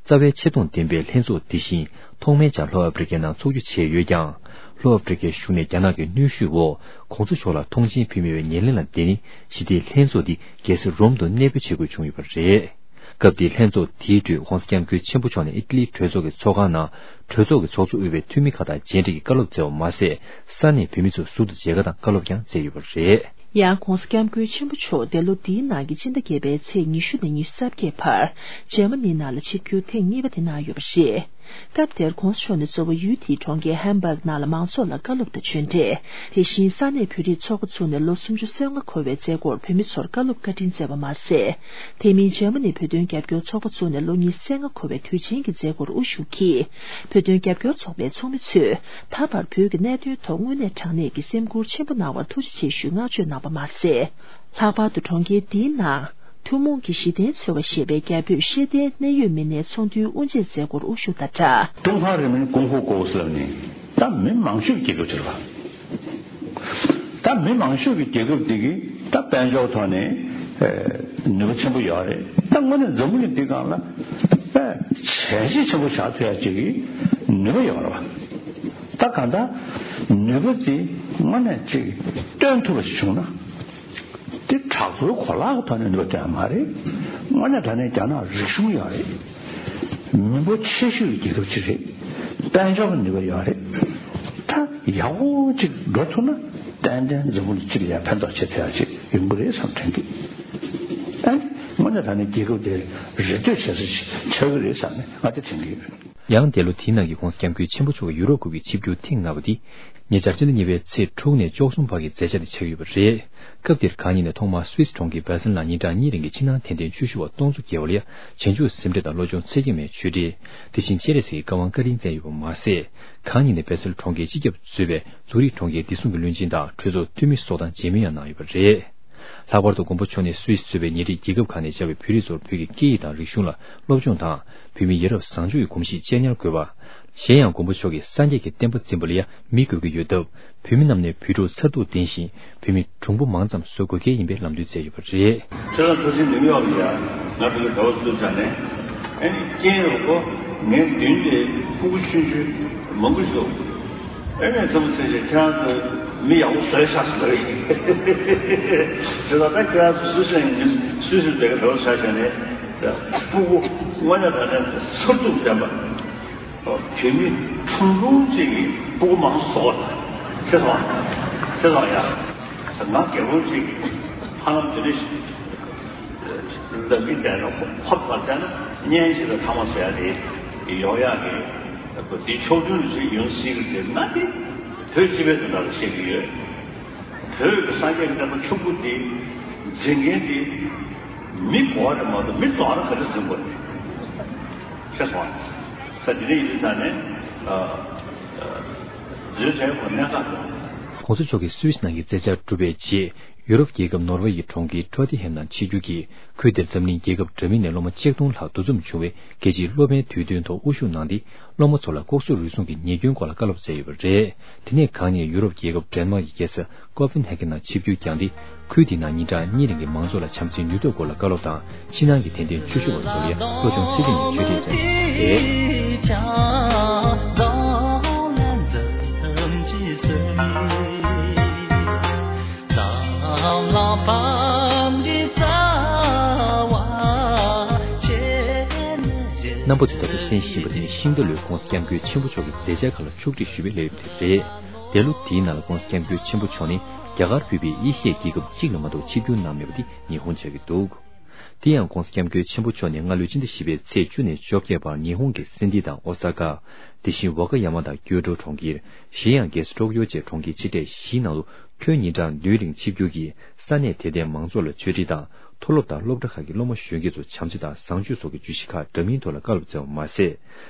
རྩ་བའི་ཆེ་མཐོང་ལྡན་པའི་ལྷན་ཚོགས་འདི་བཞིན་ཐོག་མའི་ཆར་ལྷོ་ཨ་ཕི་རི་ཀའི་ནང་འཚོགས་རྒྱུ་བྱས་ཡོད་ཀྱང་། ལྷོ་ཨ་ཕི་རི་ཀའི་གཞུང་ནས་རྒྱ་ནག་གི་གནོན་ཤུགས་འོག་ྋགོང་ས་མཆོག་ལ་མཐོང་མཆན་ཕུལ་མེད་པའི་ཉེར་ལེན་ལ་བརྟེན་ནས་ཞི་བདེའི་ལྷན་ཚོགས་འདི་རྒྱལ་ས་རོམ་དུ་གནས་སྤོས་བྱེད་དགོས་བྱུང་ཡོད་པ་རེད། སྐབས་དེའི་ལྷན་ཚོགས་དེའི་ཁྲོད་ྋགོང་ས་ྋསྐྱབས་མགོན་ཆེན་པོ་མཆོག་ནས་ཨི་ཊ་ལིའི་གྲོས་ཚོགས་ཀྱི་ཚོགས་ཁང་ནང་གྲོས་ཚོགས་ཀྱི་ཚོགས་གཙོ་དབུས་པའི་འཐུས་མི་ཁག་དང་མཇལ་འཕྲད་ཀྱིས་བཀའ་སློབ་སྩལ་བ་མ་ཟད། ས་གནས་བོད་མི་ཚོ་ཟུར་དུ་མཇལ་ཁ་དང་བཀའ་སློབ་ཀྱང་སྩལ་ཡོད་པ་རེད། ཡང་ྋགོང་ས་ྋསྐྱབས་མགོན་ཆེན་པོ་མཆོག་འདས་ལོ་འདིའི་ནང་གི་སྤྱི་ཟླ་བརྒྱད་པའི་ཚེས་ཉི་ཤུ་ནས་ཉི་ཤུ་རྩ་བརྒྱད་བར་ཇར་མ་ནི་ནང་ལ་ཆིབས་བསྒྱུར་ཐེངས་གཉིས་པ་དེ་གནང་ཡོད་པ་རེད། སྐབས་དེར་༧གོང་ས་མཆོག་ནས་གཙོ་བོ་ཡུལ་དེའི་གྲོང་ཁྱེར་ཧམ་བྷག་ནང་ལ་མང་ཚོགས་ལ་བཀའ་སློབ་དང་ཆོས་འབྲེལ། དེ་བཞིན་ས་གནས་བོད་རིགས་ཚོགས་པ་བཙུགས་ནས་ལོ་སུམ་ཅུ་སོ་ལྔ་འཁོར་བའི་མཛད་སྒོར་བོད་མི་ཚོར་བཀའ་སློབ་བཀའ་དྲིན་སྩལ་བ་མ་ཟད། དེ་མིན་ཇར་མ་ནིའི་བོད་དོན་རྒྱབ་སྐྱོར་ཚོགས་པ་བཙུགས་ནས་ལོ་ཉི་ཤུ་རྩ་ལྔ་འཁོར་བའི་དུས་ཆེན་གྱི་མཛད་སྒོར་དབུ་བཞུགས་ཀྱིས། བོད་དོན་རྒྱབ་སྐྱོར་ཚོགས་པའི་ཚོགས་མི་ཚོས་ད་བར་བོད་ཀྱི་གནད་དོན་ཐོག་དངོས་གནས་དྲང་གནས་ཀྱི་སེམས་ཁུར་ཆེན་པོ་གནང་བར་ཐུགས་རྗེ་ཆེ་ཞུའི་བསྔགས་བརྗོད་གནང་བ་མ་ཟད། ལྷག་པར་དུ་གྲོང་ཁྱེར་འདིའི་ནང་ཐུན་མོང་གི་གཞི་རྟེན་འཚོལ་བ་ཞེས་པའི་རྒྱ་བོད་ཤེས་ལྡན་གནད་ཡོད་མི་སྣའི་ཚོགས་འདུའི་དབུ་འབྱེད་མཛད་སྒོར་དབུ་བཞུགས་དང་སྦྲགས། ཀྲུང་ཧྭ་རིང་ལུགས་ཀུང་ཧྥུ་ཀོའུ་ཟེར་ནི་ད་མི་མང་ཤོས་ཀྱི་རྒྱལ་ཁབ་ཅིག་རེད་བ། ད་མི་མང་ཤོས་ཀྱི་རྒྱལ་ཁབ་འདི་གི་ད་དཔལ་འབྱོར་ཐོག་ནས་ནུས་པ་ཆེན་པོ་ཡོད་རེད། ད་དངོས་གནས་འཛམ་བུ་གླིང་འདི་སྒང་ལ་དཔེ་བྱས་རྗེས་ཆེན་པོ་བཞག་ཐུབ་ཡ་ཅིག་གི་ནུས་པ་ཡོད་རེད་བ། ད་གང་ལྟར་ནུས་པ་འདི་དངོས་གནས་ཅིག་སྟོན་ཐུབ་པ་ཞིག་བྱུང་ན། དེ་དྲག་པོའི་གོ་ལག་གི་ཐོག་ནས་ནུས་པ་སྟོན་ཡ་མ་རེད། དངོས་གནས་དྲང་གནས་རྒྱ་ནག་རིག་གཞུང་ཡོད་རེད། མི་འབོར་ཆེ་ཤོས་ཀྱི་རྒྱལ་ཁབ་ཅིག་རེད། དཔལ་འབྱོར་གྱི་ནུས་པ་ཡོད་རེད། ད་ཡག་པོ་ཅིག་འགྲོ་ཐུབ་ན་ཏན་ཏན་འཛམ་བུ་གླིང་སྤྱི་ལ་ཡང་ཕན་ཐོགས་བྱེད་ཐུབ་ཡ་ཅིག་ཡོང་གི་རེད་བསམ་དྲན་གི། ཨ་ནི་དངོས་གནས་དྲང་གནས་རྒྱལ་ཁབ་དེ་རེ་ལྟོས་བྱེད་ས་ཅིག་ཆགས་ཀྱི་རེད་བསམ་ནས་ང་དེ་དྲན་གི་ཡོད། ཡང་འདས་ལོ་དེའི་ནང་གི་༧གོང་ས་༧སྐྱབས་མགོན་ཆེན་པོ་མཆོག་གི་ཡུ་རོབ་ཁུལ་གྱི་ཆིབས་བསྒྱུར་ཐེངས་ལྔ་པ་དེ། ཉེ་ཆར་སྤྱི་ཟླ་གཉིས་པའི་ཚེས་དྲུག་ནས་བཅུ་གསུམ་བར་གྱི་མཛད་འཆར་དེ་ཆགས་ཡོད་པ་རེད། སྐབས་དེར་གང་ཉིད་ནས་ཐོག་མར་སུད་སི་གྲོང་ཁྱེར་བྷ་སེལ་ནང་ཉིན་གྲངས་གཉིས་རིང་གི་ཕྱི་ནང་འཐེན་ཐེངས་བཅུ་བཞི་པ་སྟོང་ཚོ་བརྒལ་བ་ལ་ཡ་བྱང་ཆུབ་སེམས་ཁྲལ་དང་བློ་སྦྱོང་ཚད་བརྒལ་མའི་ཆོས་ཁྲིད། དེ་བཞིན་སྤྱན་རས་གཟིགས་ཀྱི་བཀའ་དབང་བཀའ་དྲིན་བསྩལ་ཡོད་པ་མ་ཟད། གང་ཉིད་ནས་བྷ་སེལ་གྲོང་ཁྱེར་སྤྱི་ཁྱབ་གཙོས་པའི་ཛུ་རིག་གྲོང་ཁྱེར་བདེ་སྲུང་གི་བློན་ཆེན་དང་གྲོས་ཚོགས་འཐུས་མི་སོགས་དང་མཇལ་མོལ་ཡང་གནང་ཡོད་པ་རེད། ལྷག་པར་དུ་མགོན་པོ་མཆོག་ནས་སུད་སི་གཙོས་པའི་ཉེ་འཁྲིས་རྒྱལ་ཁབ་ཁག་ནས་བཅར་བའི་བོད་རིགས་ཚོར་བོད་ཀྱི་སྐད་ཡིག་དང་རིག་གཞུང་ལ་སློབ་སྦྱོང་དང་། བོད་མིའི་ཡ་རབས་བཟང་སྤྱོད་ཀྱི་གོམས་གཤིས་གཅེས་ཉར་དགོས་པ། གཞན་ཡང་མགོན་པོ་མཆོག་གིས་སངས་རྒྱས་ཀྱི་བསྟན་པ་འཛིན་པ་ལ་ཡང་མི་དགོས་ཀྱི་ཡོད་སྟབས། བོད་མི་རྣམས་ནས་བོད་ཕྲུག་མཚར་སྡུག་ལྡན་ཞིང་བོད་མི་གྲུང་པོ་མང་ཙམ་བཟོ་དགོས་གལ་ཡིན་པའི་ལམ་སྟོན་བསྩལ་ཡོད་པ་རེད། ཁྱེད་རང་ཐུགས་ཆེན་ནིའུ་ཡོག་ལ་ཡ་ང་བོད་ཀྱི་བོད་པ་སུ་ཆགས་ནས་ཨ་ནི་རྐྱེན་རོགས་པོ་ངའི་མདུན་དེ་སྤུ་གུ་ཆུང་ཆུང་མང་པོ་ཞིག་འདུག་ཨེ་མས་ཚང་མ་ཚེ་ཞིག་ཁྱེད་རང་ཚོ་མི་ཡག་པོ་བཟོས་ཤག་ཟེར་ལབ་ཡིན། དེ་ལ་ད་ཁྱེད་རང་ཚོ་སུད་སི་ནས་སུད་སི་བོད་ཀྱི་བོད་པ་ཆགས་བྱས་ནས་སྤུ་གུ་དངོས་གནས་དྲང་གནས་མཚར་སྡུག་ལྡན་པ། བོད་མི་ཁྲུང་ཁྲུང་ཅིག་གིས་སྤུ་གུ་མང་པོ་བཟོ་བ་དང་། ཚེ་སོང་ཚེ་སོང་ཡ། ང་རྒན་པོ་ཅིག་གིས་ཧ་ལམ་དེ་འདྲ་ཞིག་ལབ་ཀྱི་བསྡད་ན་ཧོབ་ཧོབ་ཙམ་བསྡད་ན་བརྙན་ཞིག་ལ་ཐ་མ་ཟེར་ཡ་དེ་ཡོང་ཡག་གི་དེ་ཕྱོགས་མཐུན་ཞིག་ཡོང་སྲིད་ཀྱི་རེད་ན། དེ་བོད་སྤྱི་པའི་དོན་དག་ལ་བཤད་ཀྱི་ཡོད། བོད་ཀྱི་སངས་རྒྱས་ཀྱི་བསྟན་པ་ཕྱུག་པོ་འདི་འཛིན་མཁན་འདི་མི་གོ་བ་རེད་མ་གཏོགས་མི་རྫོགས་རེད་ག་འདྲ་འཛིན་དགོས་རེད། ཤེས་སོང་། ས་དེ་འདྲ་ཡིན་དུས་ད་ནས་བཟོས་བྱས་ཁོ་གནད་འགག་རེད། ༸གོང་ས་མཆོག་གིས་སུད་སི་ནང་གི་མཛད་འཆར་གྲུབ་པའི་རྗེས། ཡུ་རོབ་རྒྱལ་ཁབ་ནོར་ཝེ་ཡི་གྲོང་ཁྱེར་ཊོ་ཏི་ཧེམ་ནང་ཆིབས་བསྒྱུར་གྱིས། ཁུལ་དེར་འཛམ་གླིང་རྒྱལ་ཁབ་འདྲ་མིན་ནས་སློབ་མ་ཆིག་སྟོང་ལྷག་འདུ་འཛོམས་བྱུང་བའི་རྒྱལ་སྤྱིའི་སློབ་མའི་དུས་སྟོན་ཐོག་དབུ་བཞུགས་གནང་སྟེ། སློབ་མ་ཚོ་ལ་ལྐོག་ཟ་རུལ་སུངས་ཀྱི་ཉེས་སྐྱོན་སྐོར་ལ་བཀའ་སློབ་སྩལ་ཡོད་པ་རེད། དེ་ནས་གང་ཉིད་ཡུ་རོབ་རྒྱལ་ཁབ་ཌེན་མཱག་གི་རྒྱལ་ས་ཀོ་པེན་ཧེ་གྷན་ནང་ཆིབས་བསྒྱུར་བསྐྱངས་ཏེ། ཁུལ་དེའི་ནང་ཉིན་གྲངས་གཉིས་རིང་གི་མང་ཚོགས་ལ་བྱམས་བརྩེའི་ནུས་སྟོབས་སྐོར་ལ་བཀའ་སློབ་དང་། ཕྱི་ནང་གི་དད་ལྡན་ཆོས་ཞུ་བ་ཚོར་ཡང་བློ་སྦྱོང་ཚད་ལྡན་གྱི་ཆོས་ཁྲིད་བསྩལ་ཡོད་པ་རེད། རྣམ་པ་ཚོས་ད་ལྟ་གསན་བཞིན་པ་དེ་ནི་ཤིང་རྟ་ལོའི་༸གོང་ས་༸སྐྱབས་མགོན་ཆེན་པོ་མཆོག་གི་མཛད་འཆར་ཁག་ལ་ཕྱོགས་སྒྲིག་ཞུ་བའི་ལས་རིམ་དེ་རེད། འདས་ལོ་འདིའི་ནང་ལ་༸གོང་ས་༸སྐྱབས་མགོན་ཆེན་པོ་མཆོག་ནི་རྒྱ་གར་ཕུད་པའི་ཨེ་ཤི་ཡའི་རྒྱལ་ཁབ་གཅིག་ལ་མ་གཏོགས་ཆིབས་བསྒྱུར་གནང་མེད་པ་དེ་ཉི་ཧོང་ཆགས་ཀྱི་འདུག་དེ་ཡང་༸གོང་ས་༸སྐྱབས་མགོན་ཆེན་པོ་མཆོག་ནི་སྔ་ལོའི་སྤྱི་ཟླ་བཞི་པའི་ཚེས་བཅུ་ནས་བཅོ་བརྒྱད་བར་ཉི་ཧོང་གི་སན་ཏི་དང་ཨོ་ས་ཀ། དེ་བཞིན་ཝ་ཀ་ཡ་མ་དང་ཀྱོ་ཊོ་གྲོང་ཁྱེར། གཞན་ཡང་རྒྱལ་ས་ཊོག་ཡོ་བཅས་གྲོང་ཁྱེར་ཆེ་གྲས་བཞིའི་ནང་དུ་ཁྱོན་ཉིན་གྲངས་བདུན་རིང་ཆིབས་བསྒྱུར་གྱིས་ས་གནས་དད་ལྡན་མང་ཚོགས་ལ་ཆོས་ཁྲིད་དང་། མཐོ་སློབ་དང་སློབ་གྲྭ་ཁག་གི་སློབ་མ་གཞོན་སྐྱེས་ཚོ་བྱམས་བརྩེ་དང་བཟང་སྤྱོད་སོགས་ཀྱི་བརྗོད་གཞི་ཁག་འདྲ་མིན་ཐོག་ལ་བཀའ་སློབ་སྩལ་བ་མ་ཟད།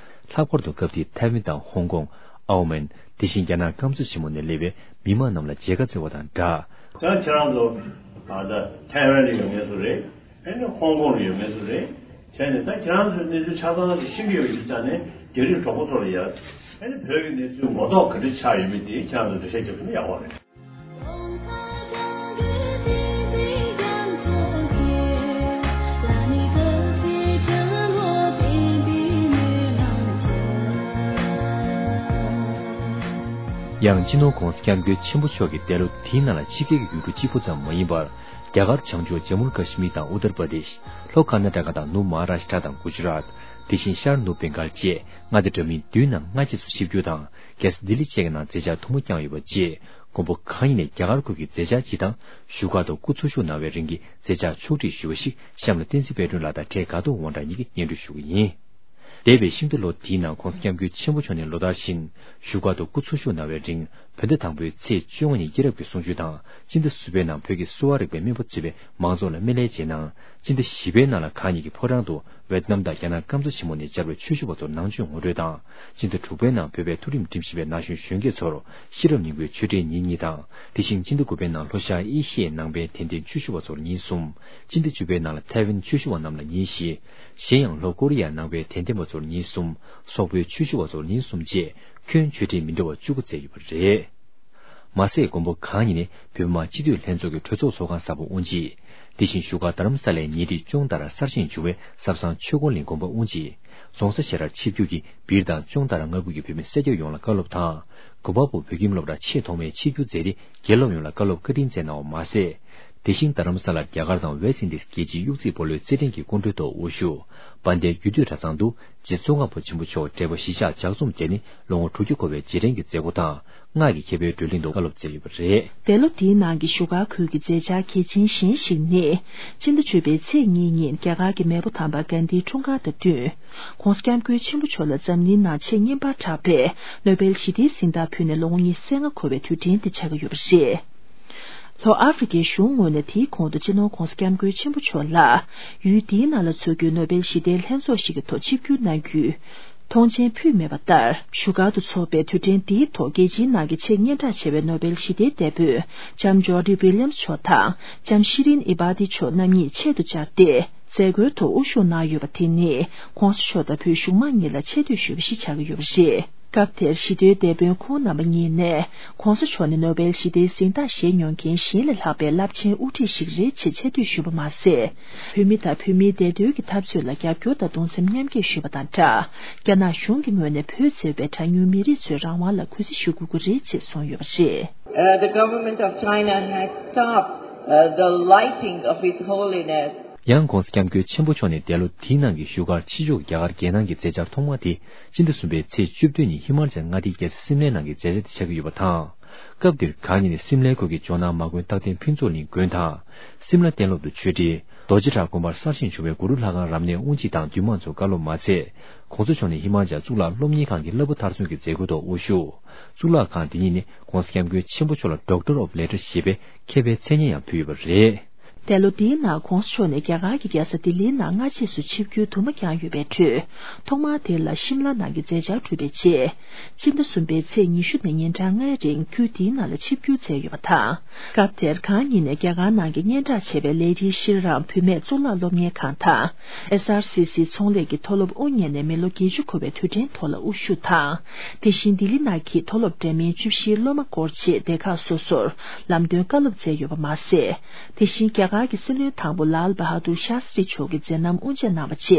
ལྷག་པར་དུ་སྐབས་དེའི་ཐའེ་ཝན་དང་ཧོང་ཀོང་། ཨའོ་མན། དེ་བཞིན་རྒྱ་ནག་སྐམ་ས་ཆེན་མོ་ནས་སླེབས་པའི་མི་མང་རྣམས་ལ་མཇལ་ཁ་བསྩལ་བ་དང་སྦྲགས། ད་ཁྱེད་རང་ཚོ་ད་ཐའེ་ཝན་ལ་ཡོད་མཁན་ཚོ་རེད། ཨ་ནི་ཧོང་ཀོང་ལ་ཡོད་མཁན་ཚོ་རེད། བྱས་ནས་ད་ཁྱེད་རང་ཚོའི་གནས་ཚུལ་ཆ་ཚང་ཞིག་ཤེས་ཀྱི་ཡོད་པ་ཡིན་ཙང་ནས་རྒྱ་རིགས་གྲོགས་པོ་ཚོ་ལ་ཡ། ཨ་ནི་བོད་ཀྱི་གནས་ཚུལ་ངོ་ཐོག་ག་འདྲ་ཆགས་ཡོད་མེད་དེ་ཁྱེད་རང་ཚོ་འགྲེལ་བཤད་རྒྱག་ཐུབ་ན་ཡག་པོ་རེད། ཡང་སྤྱི་ནོར་༸གོང་ས་༸སྐྱབས་མགོན་ཆེན་པོ་མཆོག་གིས་འདས་ལོ་འདིའི་ནང་ལ་ཕྱི་རྒྱལ་གྱི་ཡུལ་གྲུ་གཅིག་པུ་ཙམ་མ་ཡིན་པར། རྒྱ་གར་བྱང་ཕྱོགས་ཇམ་མུ་ཀ་ཤི་མིར་དང་ཨུ་ཏར་པར་དེཤ། ལྷོ་ཀར་ནཱ་ཊ་ཀ་དང་ནུབ་མ་ཧཱ་རཱཤ་ཊ་དང་གུ་ཇ་རཱཏ། དེ་བཞིན་ཤར་ནུབ་བེང་གྷལ་བཅས་མངའ་སྡེ་འདྲ་མིན་བདུན་ནང་སྔ་རྗེས་སུ་ཆིབས་བསྒྱུར་དང་། རྒྱལ་ས་ལྡི་ལི་བཅས་ཀྱི་ནང་མཛད་འཆར་ཐུང་མོ་བསྐྱངས་ཡོད་པ་བཅས། མགོན་པོ་གང་ཉིད་ནས་རྒྱ་གར་ཁུལ་གྱི་མཛད་འཆར་སྤྱི་དང་། བཞུགས་སྒར་དུ་སྐུ་འཚོ་བཞུགས་གནང་བའི་རིང་གི་མཛད་འཆར་ཕྱོགས་སྒྲིག་ཞུ་བ་ཞིག་གཤམ་ལ་བསྟན་འཛིན་དཔལ་སྒྲོན་ལགས་དང་འཕྲལ་དགའ་ཐོག་དབང་གྲགས་གཉིས་ཀྱིས་སྙན་སྒྲོན་ཞུ་གི་ཡིན། འདས་པའི་ཤིང་རྟ་ལོ་འདིའི་ནང་༸གོང་ས་༸སྐྱབས་མགོན་ཆེན་པོ་མཆོག་ནས་ལོ་ལྟར་བཞིན་བཞུགས་སྒར་དུ་སྐུ་འཚོ་བཞུགས་གནང་བའི་རིང་། བོད་ཟླ་དང་པོའི་ཚེས་བཅོ་ལྔ་ཉིན་སྐྱེས་རབས་ཀྱི་གསུང་ཆོས་དང་། སྤྱི་ཟླ་གསུམ་པའི་ནང་བོད་ཀྱི་གསོ་བ་རིག་པའི་སྨན་པ་གཙོས་པའི་མང་ཚོགས་ལ་སྨན་བླའི་རྗེས་གནང་། སྤྱི་ཟླ་བཞི་པའི་ནང་ལ་གང་ཉིད་ཀྱི་ཕོ་བྲང་དུ་ཝེ་ཏི་ནམ་དང་རྒྱ་ནག་སྐམ་ས་ཆེན་མོ་ནས་བཅར་བའི་ཆོས་ཞུ་བ་ཚོར་ནང་ཆོས་ངོ་སྤྲོད་དང་། སྤྱི་ཟླ་དྲུག་པའི་ནང་བོད་པའི་མཐོ་རིམ་ཁྲིམས་ཞིབ་པའི་ན་གཞོན་གཞོན་སྐྱེས་ཚོར་ཤེས་རབ་སྙིང་པོའི་ཆོས་འབྲེལ་ཉིན་གཉིས་དང་། དེ་བཞིན་སྤྱི་ཟླ་དགུ་པའི་ནང་ལྷོ་ཤར་ཨེ་ཤི་ཡའི་ནང་པའི་དད་ལྡན་ཆོས་ཞུ་བ་ཚོར་ཉིན་གསུམ། སྤྱི་ཟླ་བཅུ་པའི་ནང་ལ་ཐའེ་ཝན་ཆོས་ཞུ་བ་རྣམས་ལ་ཉིན་བཞི། གཞན་ཡང་ལྷོ་ཀོ་རི་ཡ་ནང་པའི་དད་ལྡན་པ་ཚོར་ཉིན་གསུམ། སོག་པོའི་ཆོས་ཞུ་བ་ཚོར་ཉིན་གསུམ་བཅས་ཁྱོན་ཆོས་འབྲེལ་མི་འདྲ་བ་བཅུ་དགུ་བསྩལ་ཡོད་པ་རེད། མ་ཟད་མགོན་པོ་གང་ཉིད་ནས་བོད་མི་མང་སྤྱི་འཐུས་ལྷན་ཚོགས་ཀྱི་གྲོས་ཚོགས་ཚོགས་ཁང་གསར་པ་དབུ་འབྱེད། དེ་བཞིན་བཞུགས་སྒར་རྡ་རམ་ས་ལའི་ཉེ་འཁྲིས་ཅོང་ཏ་ར་གསར་བཞེངས་བྱུང་བའི་ཟབ་གསང་ཆོས་འཁོར་གླིང་དགོན་པ་དབུ་འབྱེད། རྫོང་སར་ཞལ་ལྷར་ཆིབས་བསྒྱུར་གྱིས་སྦིར་དང་ཅོང་ཏ་ར་མངའ་ཁུལ་གྱི་བོད་མི་སེར་སྐྱ་ཡོངས་ལ་བཀའ་སློབ་དང་། དགོན་པ་པོ་བོད་ཁྱིམ་སློབ་གྲྭ་ཆེས་ཐོག་མའི་ཆིབས་བསྒྱུར་མཛད་དེ་དགེ་སློབ་ཡོངས་ལ་བཀའ་སློབ་བཀའ་དྲིན་བསྩལ་གནང་བ་མ་ཟད། དེ་བཞིན་རྡ་རམ་ས་ལར་རྒྱ་གར་དང་ཝེ་སི་འདི་སི་རྒྱལ་སྤྱིའི་གཡུག་རྩེད་སྤོ་ལོའི་རྩེད་འགྲན་གྱི་སྐུ་མགྲོན་ཐོག་དབུ་བཞུགས། དཔལ་ལྡན་རྒྱུད་སྟོད་གྲྭ་ཚང་དུ་རྗེ་ཙོང་ཁ་པ་ཆེན་པོ་མཆོག་བགྲེས་པོ་གཞིས་ཆགས་ལྗགས་རྩོམ་མཛད་ནས་ལོ་ངོ་དྲུག་ཅུ་འཁོར་བའི་རྗེས་དྲན་གྱི་མཛད་སྒོ་དང་། སྔགས་ཀྱི་ཁྱད་པར་བགྲོ་གླེང་དུ་བཀའ་སློབ་སྩལ་ཡོད་པ་རེད། འདས་ལོ་འདིའི་ནང་གི་བཞུགས་སྒར་ཁུལ་གྱི་མཛད་འཆར་གལ་ཆེན་གཞན་ཞིག་ནི། སྤྱི་ཟླ་བཅུ་པའི་ཚེས་གཉིས་ཉིན་རྒྱ་གར་གྱི་མེས་པོ་དམ་པ་གྷན་དྷིའི་འཁྲུངས་སྐར་དང་བསྟུན། ྋགོང་ས་ྋསྐྱབས་མགོན་ཆེན་པོ་མཆོག་ལ་འཛམ་གླིང་ནང་ཆེས་སྙན་པར་གྲགས་པའི་ནོ་བེལ་ཞི་བདེའི་གཟེངས་རྟགས་ཕུལ་ནས་ལོ་ངོ་ཉི་ཤུ་རྩ་ལྔ་འཁོར་བའི་དུས་དྲན་དེ་ཆགས་ཀྱི་ཡོད་པ་རེད། ལྷོ་ཨ་ཧྥེ་རིའི་གཞུང་ངོས་ནས་དེའི་གོང་དུ་སྤྱི་ནོར་ྋགོང་ས་ྋསྐྱབས་མགོན་ཆེན་པོ་མཆོག་ལ་ཡུལ་དེའི་ནང་ལ་འཚོགས་རྒྱུའི་ནོ་བེལ་ཞི་བདེའི་ལྷན་ཚོགས་ཤིག་གི་ཐོག་ཆིབས་བསྒྱུར་གནང་རྒྱུའི་མཐོང་མཆན་ཕུལ་མེད་པ་ལྟར། བཞུགས་སྒར་དུ་འཚོགས་པའི་དུས་དྲན་འདིའི་ཐོག་རྒྱལ་སྤྱིའི་ནང་གི་ཆེས་སྙན་གྲགས་ཆེ་བའི་ནོ་བེལ་ཞི་བདེའི་དེད་དཔོན་ལྕམ་ཇོ་ཌི་ཝི་ལི་ཡམ་མཆོག་དང་ལྕམ་ཤི་རིན་ཨི་བྷ་ཏི་མཆོག་རྣམ་གཉིས་ཆེད་དུ་བཅར་ཏེ། མཛད་སྒོའི་ཐོག་དབུ་བཞུགས་གནང་ཡོད་པ་དེ་ནི་ྋགོང་ས་མཆོག་དང་བོད་གཞུང་མང་གཉིས་ལ་ཆེ་བསྟོད་ཞུ་བ་ཞིག་ཆགས་ཀྱི་ཡོད་པ་རེད། སྐབས་དེར་ཞི་བདེའི་དེད་དཔོན་ཁོང་རྣམ་པ་གཉིས་ནས་ྋགོང་ས་མཆོག་ནི་ནོ་བེལ་ཞི་བདེའི་གཟེངས་རྟགས་བཞེས་མྱོང་མཁན་གཞན་ལས་ལྷག་པའི་རླབས་ཆེན་དབུ་ཁྲིད་ཞིག་རེད་ཅེས་ཆེ་བསྟོད་ཞུས་པ་མ་ཟད། བོད་མི་དང་བོད་མིའི་བདེ་དོན་གྱི་འཐབ་རྩོད་ལ་རྒྱབ་སྐྱོར་དང་གདུང་སེམས་མཉམ་སྐྱེད་ཞུས་པ་དང་སྦྲགས། རྒྱ་ནག་གཞུང་གི་ངོས་ནས་བོད་ཟེར་བའི་གྲངས་ཉུང་མི་རིགས་ཚོའི་རང་དབང་ལ་གུས་བརྩི་ཞུ་དགོས་ཀྱི་རེད་ཅེས་གསུངས་ཡོད་པ་རེད། Uh, the government of China has stopped, uh, the lighting of His Holiness. ཡང་ྋགོང་ས་ྋསྐྱབས་མགོན་ཆེན་པོ་མཆོག་ནས་འདས་ལོ་དེའི་ནང་གི་བཞུགས་སྒར་ཕྱི་ཕྱོགས་རྒྱ་གར་རྒྱལ་ནང་གི་མཛད་འཆར་ཐོག་མ་དེ་སྤྱི་ཟླ་གསུམ་པའི་ཚེས་བཅུ་བདུན་ཉིན་ཧི་མ་ཅལ་མངའ་སྡེའི་རྒྱལ་ས་སིམ་ལའི་ནང་གི་མཛད་འཆར་དེ་ཆགས་ཀྱི་ཡོད་པ་དང་། སྐབས་དེར་གང་ཉིད་ནས་སིམ་ལའི་ཁུལ་གྱི་ཇོ་ནང་མ་དགོན་རྟག་བརྟན་ཕུན་ཚོགས་གླིང་དགོན་དང་། སིམ་ལ་གཏན་སློབ་ཏུ་ཆོས་ཁྲི། རྡོ་རྗེ་བྲག་དགོན་པར་གསར་བཞེངས་བྱུང་བའི་གུ་རུ་ལྷ་ཁང་རབ་གནས་དབུ་འབྱེད་དང་འདུས་མང་ཚོ་བཀའ་སློབ་མ་ཚད། ྋགོང་ས་མཆོག་ནས་ཧི་མ་ཅལ་གཙུག་ལག་སློབ་གཉེར་ཁང་གི་བསླབ་བྱ་མཐར་སོན་གྱི་མཛད་སྒོའི་ཐོག་དབུ་བཞུགས། གཙུག་ལག་ཁང་འདི་ཉིད་ནས་ྋགོང་ས་ྋསྐྱབས་མགོན་ཆེན་པོ་མཆོག་ལ་Doctor of Letters་ཞེས་པའི་མཁས་པའི་མཚན་སྙན་ཡང་ཕུལ་ཡོད་པ་རེད། འདས་ལོ་འདིའི་ནང་ྋགོང་ས་མཆོག་ནས་རྒྱ་གར་གྱི་རྒྱལ་ས་ལྡི་ལིའི་ནང་སྔ་རྗེས་སུ་ཆིབས་བསྒྱུར་དུ་མ་བསྐྱངས་ཡོད་པའི་ཁྲོད། ཐོག་མར་དེ་ལ་ཤིམ་ལ་ནང་གི་མཛད་འཆར་གྲུབ་པའི་རྗེས། སྤྱི་ཟླ་གསུམ་པའི་ཚེས་ཉི་ཤུ་ནས་ཉིན་གྲངས་ལྔའི་རིང་ཁུལ་དེའི་ནང་ལ་ཆིབས་བསྒྱུར་མཛད་ཡོད་པ་དང་། སྐབས་དེར་གང་ཉིད་ནས་རྒྱ་གར་ནང་གི་སྙན་གྲགས་ཆེ་བའི་ལས་རིགས་ཤྲི་རམ་བུད་མེད་གཙུག་ལག་སློབ་གཉེར་ཁང་དང་། ཨེས་ཨར་སི་སི་ཚོང་ལས་ཀྱི་མཐོ་སློབ་དབུ་བརྙེས་ནས་མི་ལོ་བརྒྱད་ཅུ་འཁོར་བའི་དུས་དྲན་ཐོག་ལ་དབུ་བཞུགས་དང་། དེ་བཞིན་ལྡི་ལི་ནང་གི་མཐོ་སློབ་འདྲ་མིན་བཅུ་བཞིའི་སློབ་མ་སྐོར་བཅས་སྡེ་ཁག་སོ་སོར་ལམ་སྟོན་བཀའ་སློབ་སྩལ་ཡོད་པ་མ་ཟད། དེ་བཞིན་རྒྱ་གར་གྱི་སྲིད་བློན་དང་པོ་ལཱལ་བྷ་དུར་ཤཱ་སྟྲི་མཆོག་གིས་མཛད་རྣམ་དབུ་འབྱེད་གནང་བ་བཅས་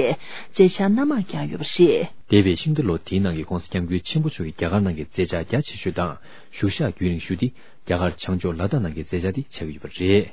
མཛད་འཆར་སྣ་མང་བསྐྱངས་ཡོད་པ་རེད། འདས་པའི་ཤིང་རྟ་ལོ་དེའི་ནང་གི་ྋགོང་ས་ྋསྐྱབས་མགོན་ཆེན་པོ་མཆོག་གི་རྒྱ་གར་ནང་གི་མཛད་འཆར་རྒྱ་ཆེ་ཤོས་དང་བཞུགས་ཤག་རྒྱུན་རིང་ཤོས་དེ་རྒྱ་གར་བྱང་ཕྱོགས་ལ་དྭགས་ནང་གི་མཛད་འཆར་དེ་ཆགས་ཀྱི་ཡོད་པ་རེད།